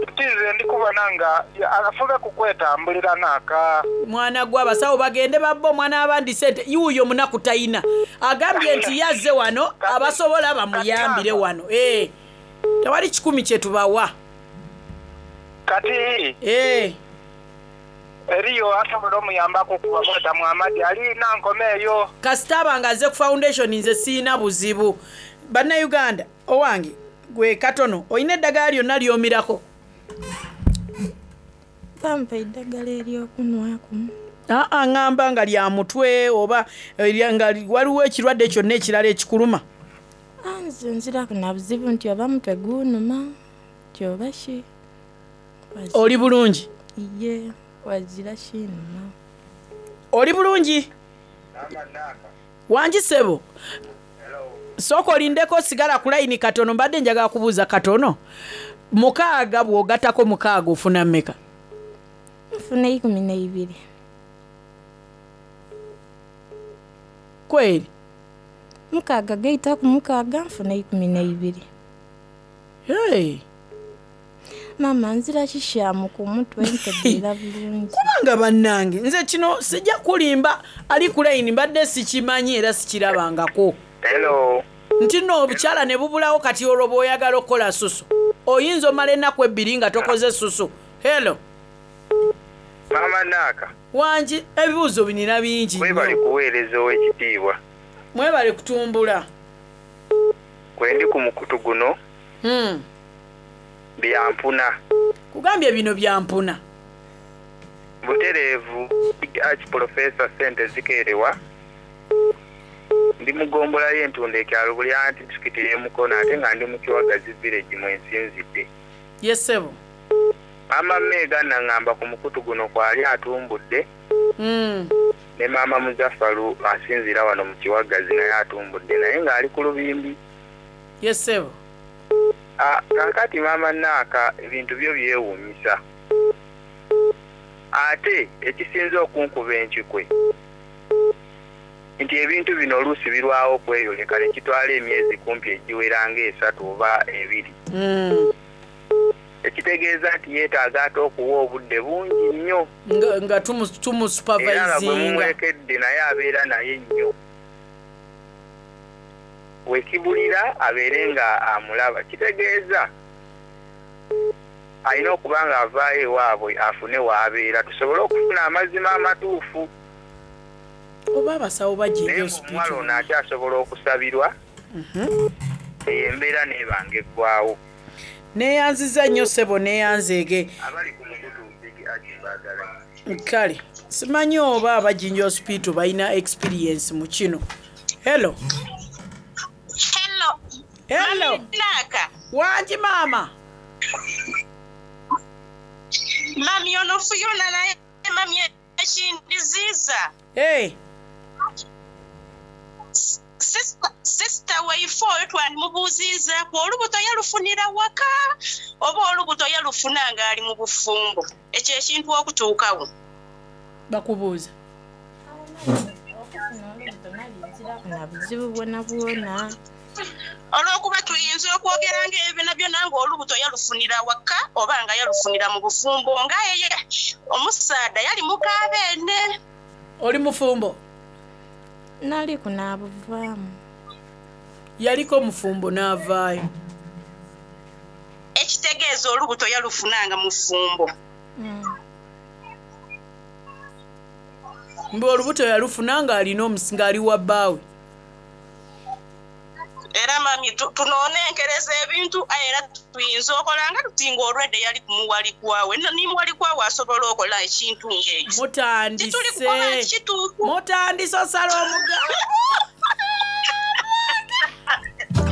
Nti nze ndi kubona nga afube ku kwetambulira Naaka. Mwana gwe abasawo bagende babba omwana w'abandi sente yuuyo munaku tayina agambye nti yazze wano abasobola bamuyambire wano Eh, tewali kikumi kye tubawa. Kati Eh. eriyo asobola omuyambako okuba mweta Muhammad alina nkoma eyo. Kasita aba nga azze ku foundation nze siina buzibu. Bannayuganda owange gwe katono olina eddagala lyonna ly'omirako? Bampa eddagala eryokunwaku. Aa ŋŋamba nga lya mutwe oba nga waliwo ekirwadde kyonna ekirala ekikuluma. Ah, nze nziraku na buzibu nti oba mutwe gunuma nti oba ki. Oli bulungi? Iye, wazira kinuma. Oli bulungi? Wangi ssebo. Sooka olindeko sigala ku layini katono mbadde njagala kubuuza katono. 6 bw'ogattako 6 ofuna mmeka? Nfuna 12. Kweri? 6 gaita ku 6 nfuna 12. Hey. Maama nzira kikyamu ku mutwe ntegeera bulungi. Kubanga bannange nze kino sijja kulimba ali ku layini mbadde sikimanyi era sikirabangako. Hello. Nti nno obukyala ne bubulawo kati olwo bw'oyagala okukola susu oyinza omala ennaku ebbiri nga tokoze susu. Hello. Maama Naaka. Wangi ebibuuzo binina bingi nnyo. Mwebale kuweereza ow'ekitiibwa. Mwebale kutumbula. Kwendi ku mukutu guno byampuna. Kugambye bino byampuna. Butereevu Arch Professor ssente zikeerewa. Ndi mu ggombolola y'Entunda ekyalo Bulyanti disitulikiti y'e Mukono ate nga ndi mu Kiwagazi village mwe nsinzidde. Ye ssebo. Maama Meega naŋŋamba ku mukutu guno kwali atumbudde ne maama Muzafalu asinziira wano mu Kiwagazi naye atumbudde naye ng'ali ku lubimbi. Ye ssebo. Ah, kaakati maama Naaka ebintu byo byewuunyisa. Ate ekisinze okunkuba enkikwe nti ebintu bino oluusi birwawo okweyoleka ne kitwala emyezi kumpi egiwera ng'esatu oba ebiri. Ekitegeeza nti yeetaaga ate okuwa obudde bungi nnyo. Nga Era nga bwe tumusupervisinga. mumulekedde naye abeera naye nnyo. Wekibulira abeere nga amulaba. Kitegeeza alina okuba nga avaayo ewaabwe afune w'abeera tusobole okufuna amazima amatuufu. Oba abasawo bajja Naye ng'omuwala ono akyasobola okusabirwa eyo embeera n'ebanga eggwawo. Neeyanziza nnyo ssebo neeyanzeege. Abali ku mukutu Big Arch mbaagala. Kale simanyi oba aba Jinja Hospital balina experience mu kino. Hello. Hello. Hello. Naaka. Wangi maama. Mami ono Fiona naye mami ekindiziiza. Hey. Sister waife oyo twandimubuuziizaako olubuto yalufunira waka oba olubuto yalufuna ng'ali mu bufumbo. Ekyo ekintu okutuukawo. Bakubuuza. Na buzibu bwona bwona. Olw'okuba tuyinza okwogera ng'ebyo byonna byonna ng'olubuto yalufunira waka oba nga yalufunira mu bufumbo nga ye omusaadha yali mukaabeene. Oli mufumbo? Nali kunaabuvaamu. Yaliko mufumbo n'avaayo. Ekitegeeza olubuto yalufuna nga mufumbo. Mbu olubuto yalufuna ng'alina ng'ali wa bbaawe. Era mami tunoonenkereza ebintu aye era tuyinza okola nga tuti ng'olwedde yali kumuwalikwawe ni muwalikwawe asobola okola ekintu ng'ekyo. Mutandise. Tituli kukola nti kituufu. Mutandise osala omugambo.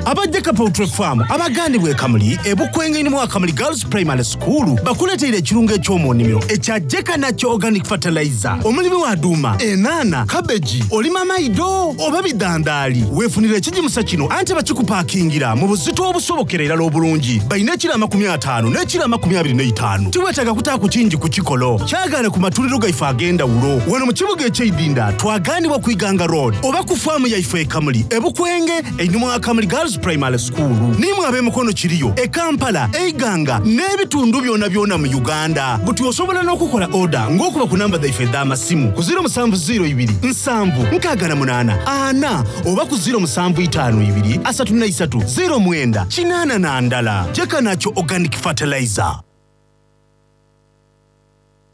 Aba Jeka Poultry Farm abagandibwa e Kamuli e Bukwenge ni mu Kamuli Girls Primary School bakuleteire ekirungo eky'omu nnimiro ekya Jeka Natural Organic Fertilizer. Omulimi wa duuma, enaana, kabeji, olima maido oba bidhandaali, weefunire ekigimusa kino ante bakikupakingira mu buzito obusobokera irala obulungi. Balina ekiro 50 n'ekiro 25. Tiweetaaga kutaaku kingi ku kikolo. Kyagaane ku matundiro gaife ag'endawulo wano mu kibuga eky'eidinda twagaanibwa ku Iganga Road oba ku faamu yaife e Kamuli e Bukwenge einhuma wa Kamuli Girls Primary School. N'imwe ab'e Mukono kiriyo, e Kampala, e Iganga n'ebitundu byonabyona mu Uganda. Buti osobola n'okukola oda ng'okuba ku namba dhaife edh'amasimu ku 0702 7 68 4 oba ku 0752 33 09 81. Jeka Organic Fertilizer.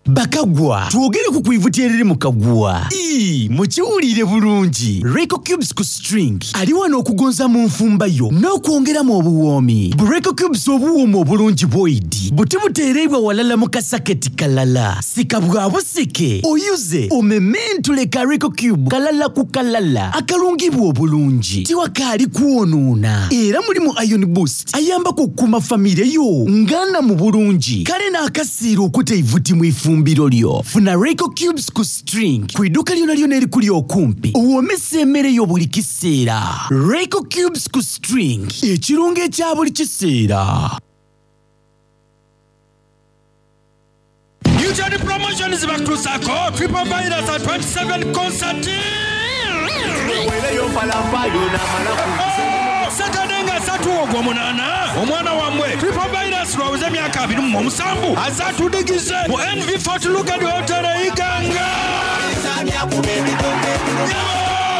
Bakagwa, twogere ku kwivuti eriri mu kagwa. Ii, mukiwulire bulungi. Reiko Cubes ku string ali wano okugonza mu nfumba yo n'okwongeramu obuwoomi. Bu Reiko Cubes obuwooma obulungi bwoidi buti buteereibwa walala mu kasaketi kalala. Sika bwa busike, oyuze, omementule ka Reiko Cube kalala ku kalala akalungibwa obulungi. Tiwakaali kwonoona era mulimu Iron Boost ayambaku okukuuma famire yo nga nnamu bulungi. Kale n'akasiira okuta eivuti mu ifumbiro lyo. Funa Reiko Cubes ku string ku iduuka lyonalyona erikuli okumpi owoomese emmere yo buli kiseera. Reiko Cubes ku string, ekirungo ekya buli kiseera. Newton Promotions bakutuusaako Triple Virus at 27 Concert. Saturday nga asatu ogw'omunaana omwana wammwe Triple Virus lwaweze emyaka 27 aze atudigize mu NV Fort Lugard Hotel e Iganga.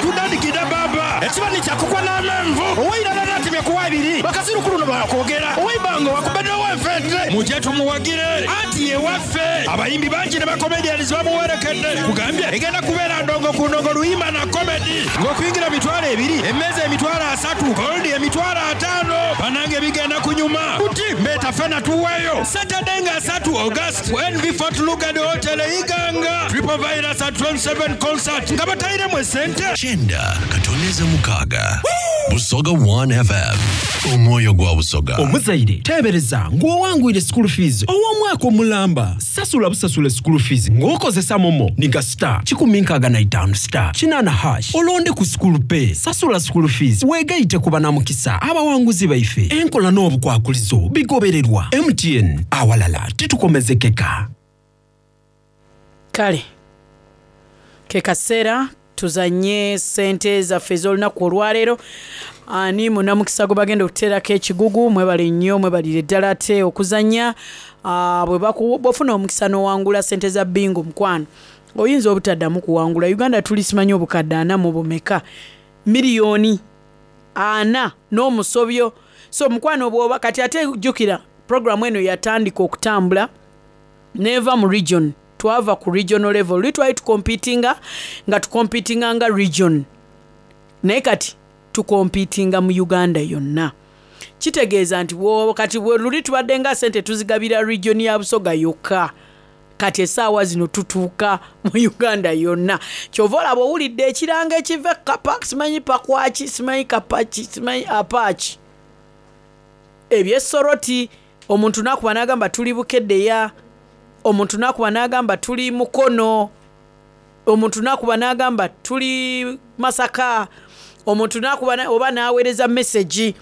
Tudandikidde baba ekibani kyakukwa n'amenvu owairala natemya kuwa ebiri bakazirukulu no bakwogera owaibanga wakubedde owenfente mujje tumuwagire anti yewaffe abayimbi bangi ne bakomedians bamuwerekedde kugambye egenda kubeera ndongo ku ndongo luyimba na komedi ng'okuyingira 20,000 emmeeza 30,000 goldi 50,000 banange bigenda kunyuma buti mbeeta fena tuweeyo Saturday nga 3 August ku NV Fort Lugard Hotel e Iganga Triple Virus at 27 concert nga batayiremu esente Kyenda katoneza mukaaga Busoga 1 FM omwoyo gwa Busoga. Omuzaire teebereza ng'owangwire school fees ow'omwaka omulamba. Sasula busasule school fees ng'okozesa momo niga star 165 star 8 hash olonde ku school pay. Sasula school fees weegaite ku banamukisa abawanguzi baife. Enkola n'obukwakulizo bigobererwa. MTN awalala titukomezekeka. Kale ke kaseera tuzanye sente zaffe ez'olunaku olwaleero. Ani munamukisa gwe bagenda okuteerako ekigugu? Mwebale nnyo, mwebalire ddala ate okuzannya. Ah, bwe baku- bw'ofuna omukisa n'owangula sente za bingo mukwano, oyinza obutaddamu kuwangula. Uganda tuli simanyi obukadde ana mu bumeka, miliyoni ana n'omusobyo. So mukwano bw'oba kati ate jjukira programu eno yatandika okutambula n'eva mu region, twava ku regional level. Luli twali tukompitinga nga tukompitinga nga region, naye kati tukompitinga mu Uganda yonna. Kitegeeza nti bw'oba kati bwe luli tubadde nga sente tuzigabira region ya Busoga yokka, kati essaawa zino tutuuka mu Uganda yonna. Ky'ova olaba owulidde ekirango ekiva e Kapa, simanyi Pakwaki, simanyi Kapaki, simanyi Apaaki, eby'e Soroti. Omuntu n'akuba n'agamba tuli Bukeddeya, omuntu n'akuba n'agamba tuli Mukono, omuntu n'akuba n'agamba tuli Masaka, omuntu n'akuba oba n'aweereza message.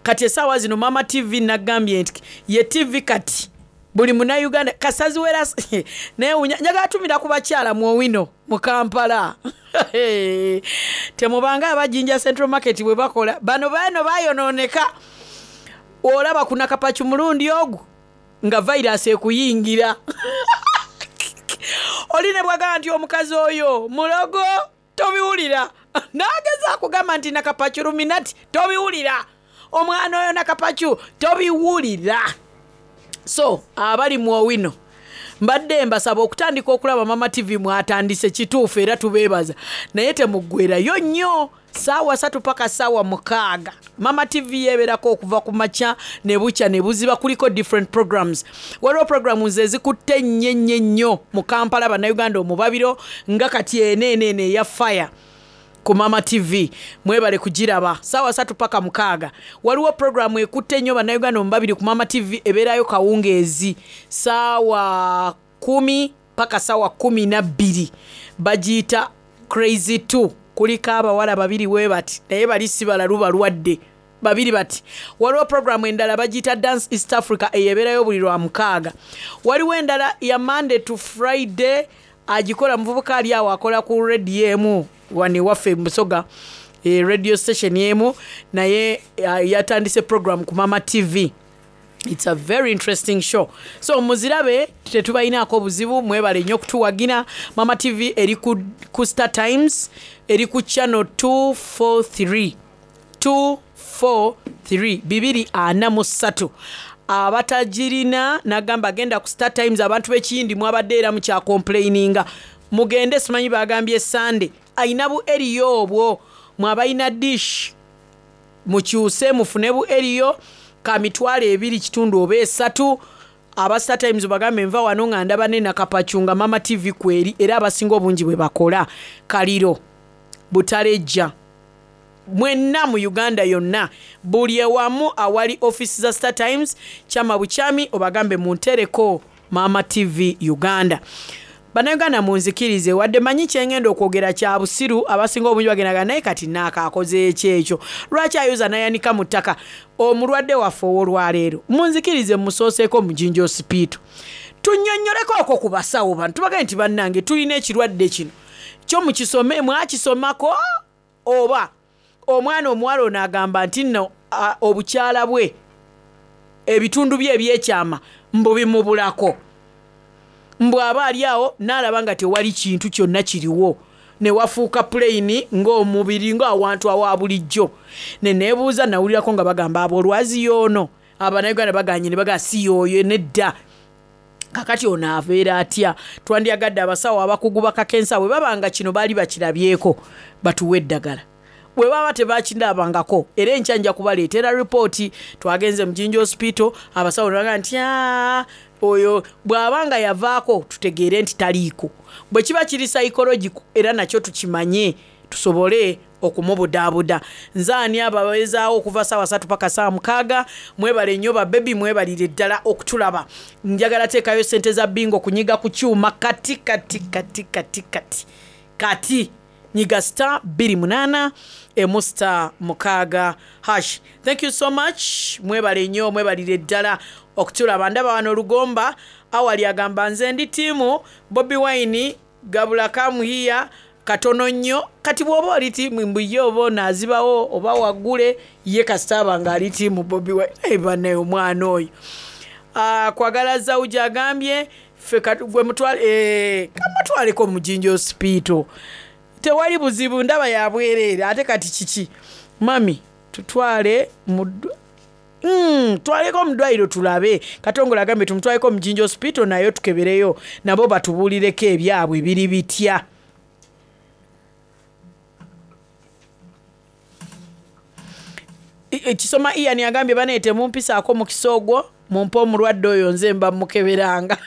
Kati essaawa zino Mama TV nagambye nti ye TV kati buli munnayuganda kasaziwera naye njagala tumira ku bakyala mu Owino mu Kampala. Temubanga abajinja Central Market bwe bakola bano bano bayonooneka. Olaba ku Nakapaki mulundi ogwo nga virus ekuyingira. Oli ne bwagamba nti omukazi oyo mulogo, tobiwulira. N'ageza akugamba nti Nakapaki Luminati, tobiwulira. Omwana oyo Nakapaki tobiwulira. So abali mu Owino mbadde mbasaba okutandika okulaba Mama TV. Mwatandise kituufu era tubeebaza, naye temuggwerayo nnyo. Saawa 3 paka saawa 6 Mama TV yeeberako okuva ku makya ne bukya ne buziba. Kuliko different programs, waliwo programs ezikutte nnyo nnyo nnyo mu Kampala, Bannayuganda omubabiro nga kati eno eno eno eya fire. Ku Mama TV mwebale kugiraba saawa satu paka mukaaga. Waliwo programu ekutte ennyo bannayuganda omubabiri ku Mama TV ebeerayo kawungeezi saawa kumi paka saawa 12 bagiyita Crazy 2 kuliko abawala babiri webati naye bali si balalu balwadde babiri bati. Waliwo programu endala bagiyita Dance East Africa eyo ebeerayo buli lwa mukaaga. Waliwo endala ya Monday to Friday agikola muvubuka ali awo akola ku radio emu wano ewaffe mu Busoga e, radio station emu naye yatandise program ku Mama TV. It's a very interesting show. So muzirabe tetubalinaako buzibu mwebale nnyo okutuwagira. Mama TV eri ku, ku Star Times eri ku channel 243 243 243 abatagirina nagamba genda ku Star Times abantu b'ekiyindi mwabadde era mukyacomplaininga mugende simanyi bagambye Sunday ayina bu eriyo obwo mwabalina dish mukyuse mufune bu eriyo ka mitwalo ebiri kitundu oba esatu aba Star Times bagambe nva wano nga ndaba ne nakapacu nga Mama TV kweri era abasinga obungi bwe bakola kaliro butalejja mwenna mu Uganda yonna buli ewamu awali office za Star Times kyama bukyami obagambe muntereko Mama TV Uganda. Bannayuganda munzikirize wadde manyi kyengenda okwogera kya busiru abasinga obungi bagendaga naye kati naaka akoze eki ekyo lwaki ayoza nayanika mu ttaka omulwadde waffe ow'olwaleero munzikirize musooseeko mu Jinja Hospital tunnyonnyoleko okwo ku basawo bano tubagambye nti bannange tulina ekirwadde kino kyo mukisome mwakisomako oba omwana omuwala ono agamba nti nno obukyala bwe ebitundu bye ebyekyama mbu bimubulako mbu aba ali awo n'alaba nga tewali kintu kyonna kiriwo ne wafuuka puleyini ng'omubiri ng'awantu awa bulijjo ne neebuuza nawulirako nga bagamba abo olwazi y'ono Abannayuganda baganye ne bagamba si y'oyo nedda kakati ono abeera atya twandyagadde abasawo abakugu bakakensa bwe baba nga kino baali bakirabyeko batuwe eddagala bwe baba tebakirabangako era enkya nja kubaleetera ripooti twagenze mu Jinja Hospital abasawo ne bagamba nti oyo bw'aba nga yavaako tutegeere nti taliiko bwe kiba kiri psychological era nakyo tukimanye tusobole okumubudaabuda. Nze ani ababeezaawo okuva saawa satu paka saawa mukaaga mwebale nnyo ba baby mwebalire ddala okutulaba. Njagala teekayo ssente za bingo kunyiga ku kyuma kati kati kati kati kati kati nyiga star 28 emu star mukaaga hash. Thank you so much mwebale nnyo mwebalire ddala okutulaba. Ndaba wano Lugomba awali agamba nze ndi tiimu Bobi Wine gabula kamuhiya katono nnyo kati bw'oba oli tiimu mbu ye oba ono azibawo oba waggule ye kasita aba ng'ali tiimu Bobi Wine naye bannaye omwana oyo ah, kwagala Zawuja agambye ffe gwe mutwale eh, kamutwaleko mu Jinja Hospital tewali buzibu ndaba ya bwereere ate kati kiki mami tutwale mu twaleko mu ddwaliro tulabe. Katongole agambye tumutwaleko mu Jinja Hospital nayo tukebereyo nabo batubuulireko ebyabwe biri bitya. Kisoma Ian agambye banaye temumpisaako mukisa ogwo mumpe omulwadde oyo nze mba mukeberanga.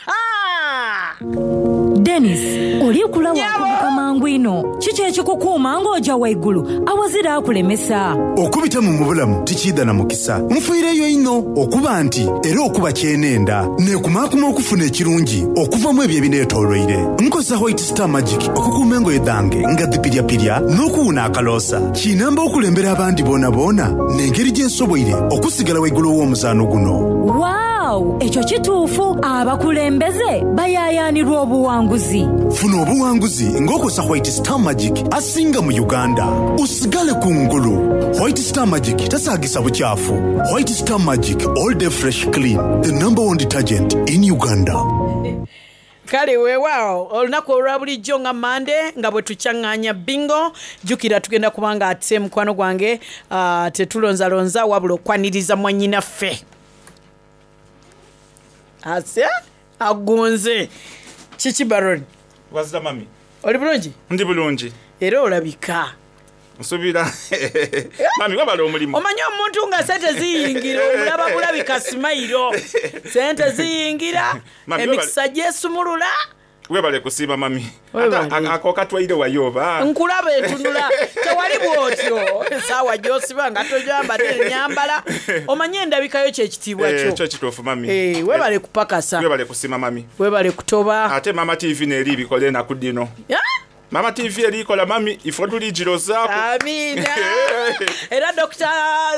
Denis, oli kula wakubuka mangu inho. Kiki ekikukuuma ng'oja waigulu awazira akulemesa? Okubita mu mubulamu tikiidha na mukisa. Nfiireyo inho okuba nti era okuba kyenenda. Nekumaakuma okufuna ekirungi okuva mu ebyo ebinetoloire. Nkozesa White Star Magic okukuuma engoye dhange nga dhipiryapirya n'okuwuna akaloosa. Kinamba okulembera abandi boonaboona n'engeri gye nsoboire okusigala waigulu ow'omuzaano guno. Waaw! Ekyo kituufu! Abakulembeze bayaayaanirwa obuwanguzi. Funa obuwanguzi ng'okozesa White Star Magic asinga mu Uganda. Osigale ku ngulu. White Star Magic tasaagisa bukyafu. White Star Magic all day fresh clean, the number one detergent in Uganda. Kale weewaawo olunaku olwa bulijjo nga Mande nga bwe tukyaŋŋaanya bingo jjukira tugenda kuba nga ate mukwano gwange uh, tetulonzalonza wabula okwaniriza mwannyinaffe ase agunze kiki baron wazira mami oli bulungi ndi bulungi era olabika nsubira mami wabala omulimu omanyi omuntu nga sente ziyingira omulaba bulabika simayiro sente ziyingira emikisa gyesumulula. Webale kusiima mami. Webale. Ate ako katwaire wayo oba? Nkulaba entunula tewali bwotyo esaawa gyosiba nga togyambadde enyambala omanye endabikayo kyekitiibwa Eh, kyo. Kyo kituufu mami. Eh, webale kupakasa. Webale kusiima mami. Webale kutoba. Ate mama TV neeri ibikola enaku dino. Mama TV erikola mami ifo tuligirozaako. Amiina. Era Dr.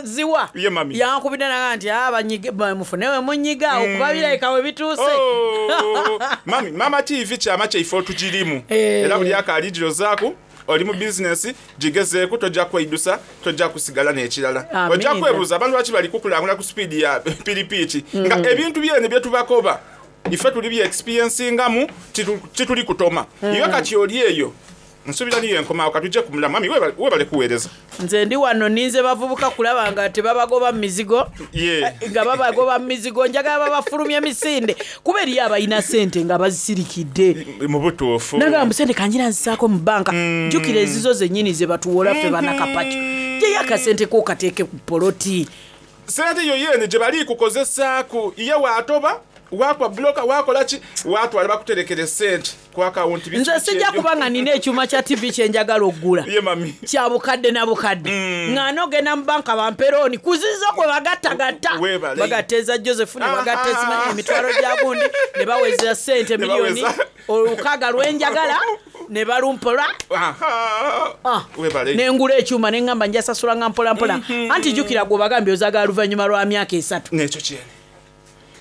Ziwa Ye mami. yankubidde naga nti "Ah, banyige- mufune we munyiga okuba birabika we bituuse. Oh, mami mama TV kyama kyaife otugirimu. Eh. Era buli akaligirozaako oli mu bizinesi gigezeeku tojja kweidusa tojja kusigala n'ekirala. Amiina. Ojja kwebuuza abantu lwaki bali kukulangula ku sipiidi ya piripiiki nga ebintu byene byetubakoba ife tuli bye-experiencingamu tituli kutoma. Iwe kati oli eyo nsuubira niyo enkomawo katujje ku mulamu mami webale- webale kuweereza. Nze ndi wano ninze bavubuka kulaba nga tebabagoba mu mizigo. Ye. Nga babagoba mu mizigo njagala babafulumya emisinde kuba eriyo abalina sente nga bazisirikidde. Mu butuufu. Nagamba mbu sente kanjira nzisaako mu banka jjukira ezizo zennyini ze batuwola ffe banakapaki gyeyo akasente ko kateeke ku poloti. Sente yo yene gye bali kukozesaaku ye waatoba wakwa buloka wakola ki watwala bakuterekera sente ku akawunti Nze sijja kuba nga nina ekyuma kya tv kyenjagala oggula ye mami kya bukadde na bukadde nga nogenda mu banka bamperooni kuzizo kwe bagattagatta Weebale. bagatta eza joseph ne bagatta ezimanyi emitwalo gya gundi ne baweza sente Ne miliyoni baweza. olukaaga lwenjagala ne balumpola. Ah. Webale. Nengula ekyuma neŋŋamba njasasula nga mpolampola anti jjukira gwe bagambye ozagala luvannyuma lwa myaka 3. Nekyo kyene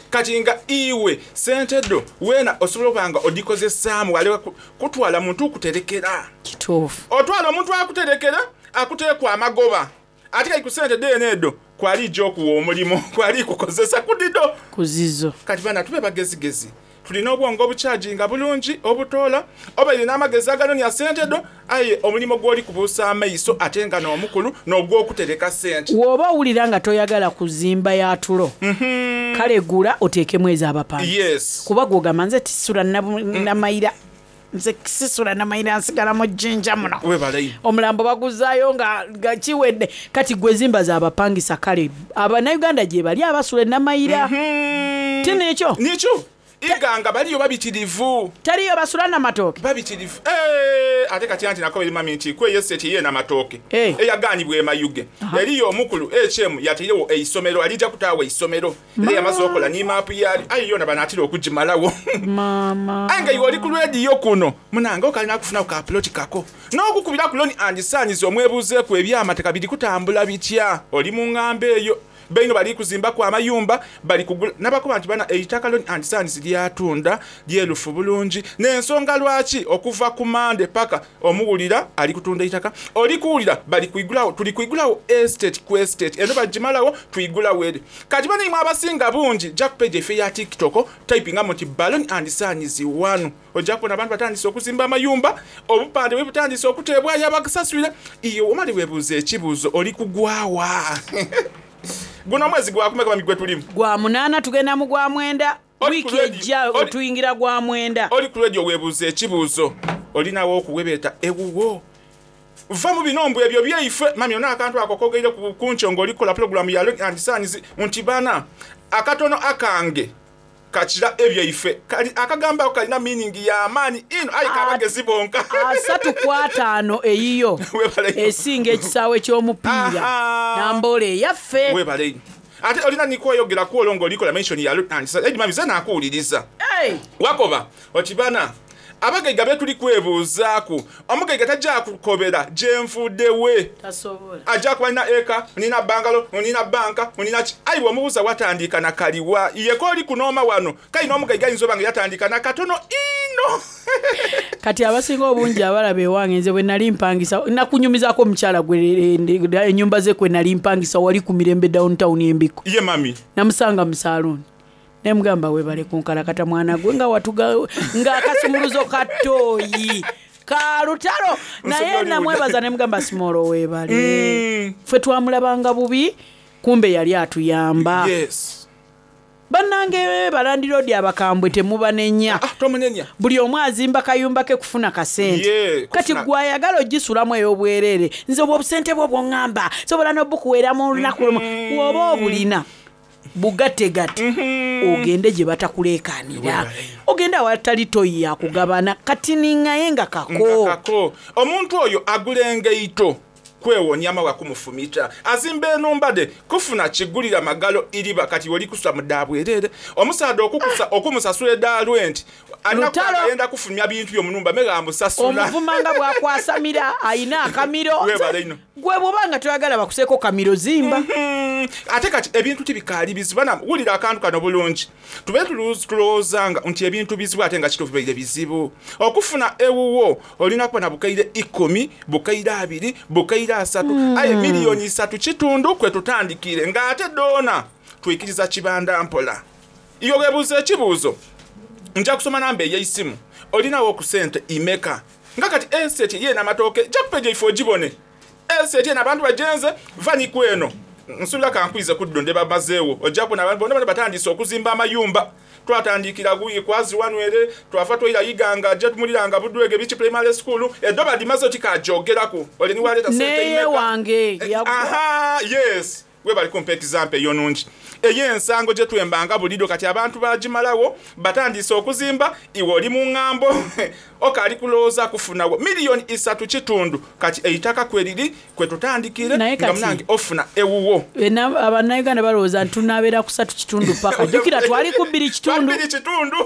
kati nga iwe sente ddo weena osobola okuba nga odikozesaamu wale kutwala muntu okuterekera. Kituufu. Otwala omuntu akuterekera akuteekwa amagoba ate kali ku sente deeno eddo kwali ijja okuwa omulimu kwali kukozesa kudido kuzizo. Kati bana tube bagezigezi tulina obwongo obukyaginga bulungi obutoola oba erina amagezi aganonya sente ddo aye omulimu gw'oli kubuusa amaiso ate nga n'omukulu n'ogw'okutereka sente. W'oba owulira nga toyagala kuzimba ya tulo kale gula oteekemu ez'abapangisa. Yes. Kuba gwogamba nze tisula namayira nze sisula namayira nsigala mu jjinja muno. Webale. Omulambo baguzaayo nga, nga kiwedde kati gwe zimba z'abapangisa kale abannayuganda gye bali abasula enamayira ti nekyo nikyo iganga baliyo babitirivu. Taliyo basula namatooke babitirivu. Eh, ate kati anti nako mami nti kweyese tiye namatooke eyagaanibwa emayuge eriyo omukulu hm yatairewo eisomero alijja kutaawa eisomero era yamaze okola ni maapu yali aye yona banaatera okugimalawo. Maama. Aye nga iwe oli ku lwediyo kuno munange okalina kufunaku ka ploti kako n'okukubira ku loni andisaanyiza omwebuuzeeku ebyamateka biri kutambula bitya oli mu ŋŋamba eyo beino bali kuzimbaku amayumba bali kugula nabakuba nti bana eitaka loni andisaanyizi lyatunda lyerufu bulungi n'ensonga lwaki okuva ku mande paka omuwulira ali kutunda eitaka oli kuwulira bali kuigulawo tuli kuigulawo estate ku estate eno bagimalawo tuyigulawo eri kati bana imwe abasinga bungi jack page efe ya tiktok typingamu nti baloni andisaanyizi wanu ojja kubona abantu batandise okuzimba amayumba obupande bwe butandise okuteebwayo abakusasulira iyo omale weebuuza ekibuuzo oli kugwawa guno omwezi gwakumeka mami gwe tulimu gwa 8 tugenda mu gwa 9 wiiki ejja tuyingira gwa 9. Oli ku radio weebuuza ekibuuzo olinawo okuwebeeta ewuwo va mu binombo ebyo byeife mami ona akantu ako kogeire ku kunkyo ng'olikola pulogulamu ya Loni and Sons nti bana akatono akange kakira ebyeife Kali- akagambo ako kalina meaning y'amaanyi ino aye kabagezi bonka. 35 eyiyo esinga ekisaawe ky'omupiira nambola eyaffe. Webale ate olina nikweyogera kwolwo ng'olikola mention ya Loni and Sons edi mami ze naakuwuliriza. Hey! Wakoba okibana abagaiga betuli kwebuuzaaku omugaiga tajja kukobera gyenfuddewe tasobola ajja kuba nina eka nina bangalo nina banka nina ki ayi bw'omubuuza watandika na kaliwa yeko oli kunooma wano kali n'omugaiga ayinza oba nga yatandika na katono ino. Kati abasinga obungi abalaba ewange nze bwe nali mpangisa nakunyumizaako omukyala gwe ennyumba ze kwe nali mpangisa wali ku mirembe downtown embiko. Ye mami. Namusanga mu saaluuni nemugamba webale kunkalakata mwana gwe nga watuga ng'akasumuluzo ka ttooyi ka lutalo naye namwebaza nemugamba simolo webale ffe twamulabanga bubi kumbe yali atuyamba. Yes. Bannange balandiroodi abakambwe temubanenya. Tomunenya. Buli omu azimba kayumba ke kufuna kasente. Ye, kati kufuna- gwe ayagala ogisulamu ey'obwereere nze obwo obusente bwo bwoŋŋamba sobola n'obukuweera mu lunaku lumu woba obulina. Bugategate ogende gye batakuleekaanira, ogende awatali toyi yakugabana katiniŋŋaye nga kako. Nga kako. Omuntu oyo agula engaito kwewonia mawa kumufumita, azimba enhumba dhe kufuna kigulira magalo iriba kati oli kusula mu dha bwerere. Omusaadha okukusa okumusasula edha lwenti alina kuba Lutalo. nga ayenda kufulumya bintu byo mu nhumba me ghamusasula. Omuvuma nga bw'akwasamira alina akamiro. Webale inho. Gwe bw'oba nga toyagala bakuseeko kamiro zimba. Ate kati ebintu tibikaali bizibu. Bana wulira akantu kano bulungi. Tube tulowoozanga nti ebintu bizibu ate nga kituufu bibaire bizibu. Okufuna ewuwo olina kuba na bukaire ikumi, bukaire abiri, bukaire asatu, aye miliyoni isatu kitundu kwe tutandikire nga ate dhoona twikiriza kibanda mpola. Iwe weebuuze ekibuuzo, nja kusoma namba ey'eisimu, olinawo ku sente imeka? Nga kati eseti ey'enamatooke ja ku peegi yaifo ogibone. Eseti eno abantu bagyenze, va ni kweno. Nsuubira ka nkwize ku dhino dhe bamazeegho. Oja kubona abantu boonaboona batandiise okuzimba amayumba. Twatandikira ghuyi ku Aziwanu ere, twava twaira Iganga gye tumuliranga Budwege Beach Primary School. Edho badhimazeegho tikagyogeraku. Ole ni waleeta sente N'eye imeka? wange yagwa. Aha, yes. Webale kumpa ekizampo eyo nungi. Ey'ensango gye twembanga buliidho kati abantu baagimalagho, batandiise okuzimba, iwe oli mu ngambo okaali kulowooza kufunagho miliyoni isatu kitundu kati eitaka kweriri kwe tutandikiire Naye nga kati munange ofuna ewuwo. Abannayuganda balowooza nti tunabeera ku satu kitundu paka. Jjukira twali ku bbiri kitundu. Bbiri kitundu.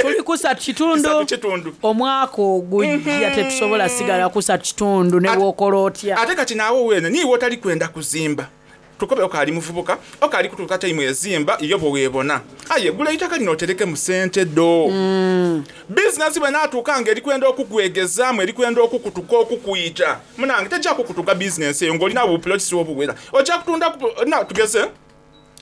Tuli ku satu kitundu. Isatu kitundu. Omwaka ogujja tetusobola sigala ku satu kitundu ne bw'okola otya. Ate kati naawe weene niiwe otali kwenda kuzimba. Tukobe okaali muvubuka, okaali kutuuka taimu ezimba yo bwe weebona. Aye gula eitaka lino oterekemu sente dho. Bizinensi bw'enaatuuka nga eri kwenda okukwegezamu, eri kwenda okukutuka okukwita, munange teja kukutuka bizinensi eyo ng'olina bupulotisi obuwera. Oja kutundaku, na tugeze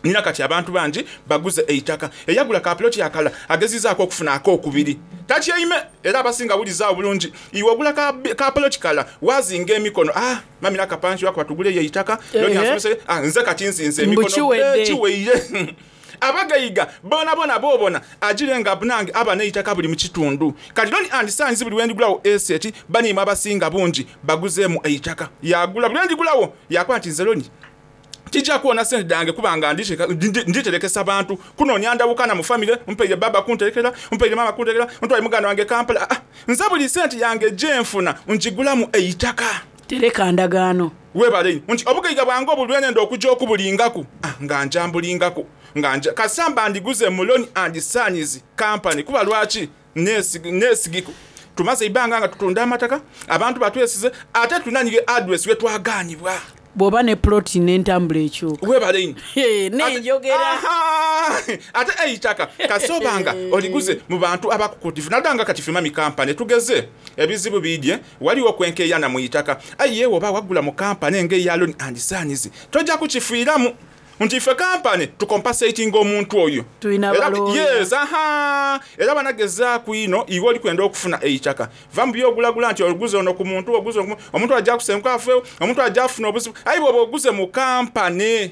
nina kati abantu bangi baguze eitaka. Eyagula ka puloti akala agezizaaku okufuna akokubiri. Tatyaime era abasinga wuliza agho bulungi. Iwe ogula ka, ka puloti kala waazinga emikono. Ah, mami nakapanki wakuba tuguleyo eitaka. Loni Ehe. asomese, ah, nze kati nzinze Mbu emikono. kiwedde. Eh, kiweire. Abagaiga bonabona bobona agire nga nange aba n'eitaka buli mu kitundu. Kati Loni and Sons buli lwendigulawo eseti baniimwe abasinga bungi baguzeemu eitaka. Yagula buli lwendigulawo yakuba nti nze Loni tija kuwona sente dhange kubanga nditerekesa bantu kunoonya ndawukana mu famire mpaire baba kunterekera mpaire mama kunterekera ntwale muganda wange Kampala. Ah, nze buli sente yange gyenfuna ngigulamu eitaka. Tereka ndagaano. Webale inho nti obugaiga bwange obwo lwenenda okuja okubulingaku ah, nga nja mbulingaku nga nja kasamba ndiguze mu Loni and Sons Company kuba lwaki nesigiku tumaze eibanga nga tutunda amataka abantu batwesize ate tulina ni address we twagaanibwa. Bw'oba ne ploti n'entambula ekyuka. Webale inho. N'enjogera. Ate eitaka kasobanga oliguze mu bantu abakukutifu naddala nga kati Fimami Company tugeze ebizibu bidye waliwo okwenkeyana mu itaka aye yewe oba wagula mu kampani nga eya Loni and Sons tojja kukifiiramu nti ife kampani tukompasatinga omuntu oyo. Tulina Era balooya. yes, aha. Era banagezaaku inho iwe oli kwenda okufuna eitaka va mu byogulagula nti oguze ono ku muntu oguze ono ku omuntu ajja kusenguka afeewo omuntu ajja afuna obuzibu aye bw'oba oguze mu kampani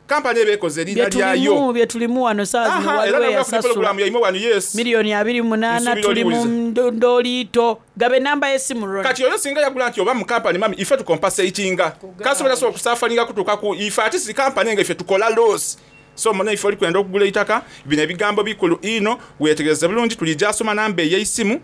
kampani eba ekoze eriina lyayo. Bye tulimu wano saawa zino Aha, era waliwo nabula ku eyasasula programu yaimwe wano yes. miliyoni abiri munaana Nsuubira tuli mu oliwuliza. ndooliito gabe namba y'essimu Ronnie. Kati oyo singa yagula nti oba mu kampani mami ife tukompasatinga kasobola sobola okusafaringa kutuuka ku ife ate si kampani nga ife tukola loss. So muna ife oli kwenda okugula eitaka bino ebigambo bikulu inho weetegereze bulungi tulijja asoma namba ey'eisimu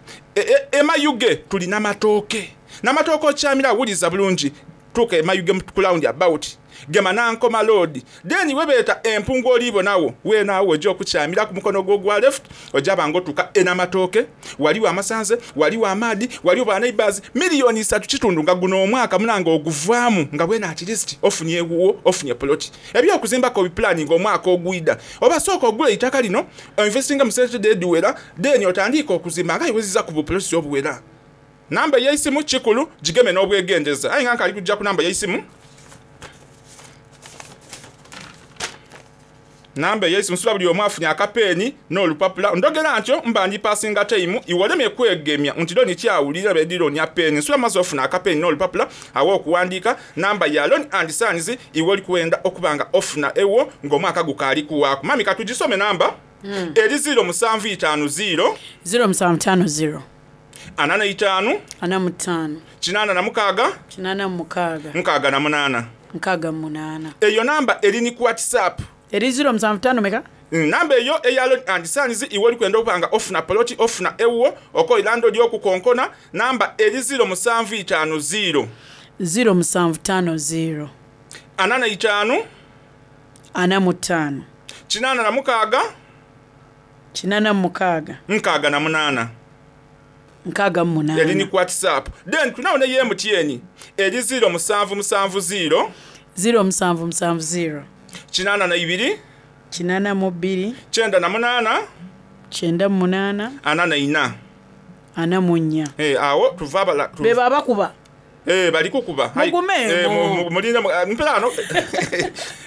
emayuge tulina matooke namatooke okyamira wuliza bulungi tuuka emayuge ku round about gema nankoma road then webeeta empungu oliibonawo weenaawo ojja okukyamira ku mukono gwo ogwa left ojja banga otuuka enamatooke waliwo amasanze waliwo amaadi waliwo ba neighbors miliyoni isatu kitundu nga guno omwaka munange oguvaamu nga bwena at least ofunye ewuwo ofunye ploti ebyokuzimbako obipulaninga omwaka ogwida oba sooka ogula eitaka lino oinvestinga mu sente dediwera then otandike okuzimba nga iweziza ku bupuloti obuwera. Namba ey'eisimu kikulu gigeme n'obwegendeza aye nga nkali kujja ku namba ey'eisimu namba ey'eisimu nsula buli omu afunye akapeeni n'olupapula ndogera ntyo mba ndi pasinga taimu iwe olemye kwegemya nti loni kyawulira bedironya peeni nsula maze ofuna akapeeni n'olupapula awo okuwandiika namba ya Loni and Sons iwe oli kwenda okuba nga ofuna ewo ng'omwaka gukaali kuwaaku mami katugisome namba eri 0750 0750 45 45 86 86 68 68. Eyo namba eri ni ku WhatsApp. Eri 075 meka? Namba eyo eya Loni and Sons iwe oli kwenda okuba nga ofuna poloti, ofuna ewuwo, okoira ndoli okukonkona, namba eri 0750. 0750. 45. 45. 86. 86. 68. 68. Eri ni ku WhatsApp. Then tulinawo ne ye MTN eri 0770. 0770. 82. 82. 98. 98. 44. 44. Eh, awo tuva abala Beba abakuba. Eh, bali kukuba. Hai, Mugume, eh, mulinde mpera ano.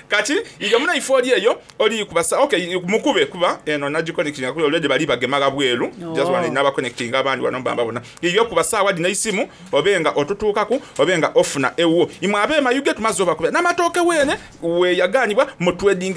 Kati iyo muna ifo oli eyo oli kubasa. Okay, mukube kuba eno nagiconnectinga kuli already bali bagemaga bweru. Oh. Just one naba connecting abandi wano mbamba bona. Iyo kubasa wadi na isimu obenga otutuukaku obenga ofuna ewo. Imwe abe mayuge tumaze obakuba. N'amatooke wene we yaganibwa mu trading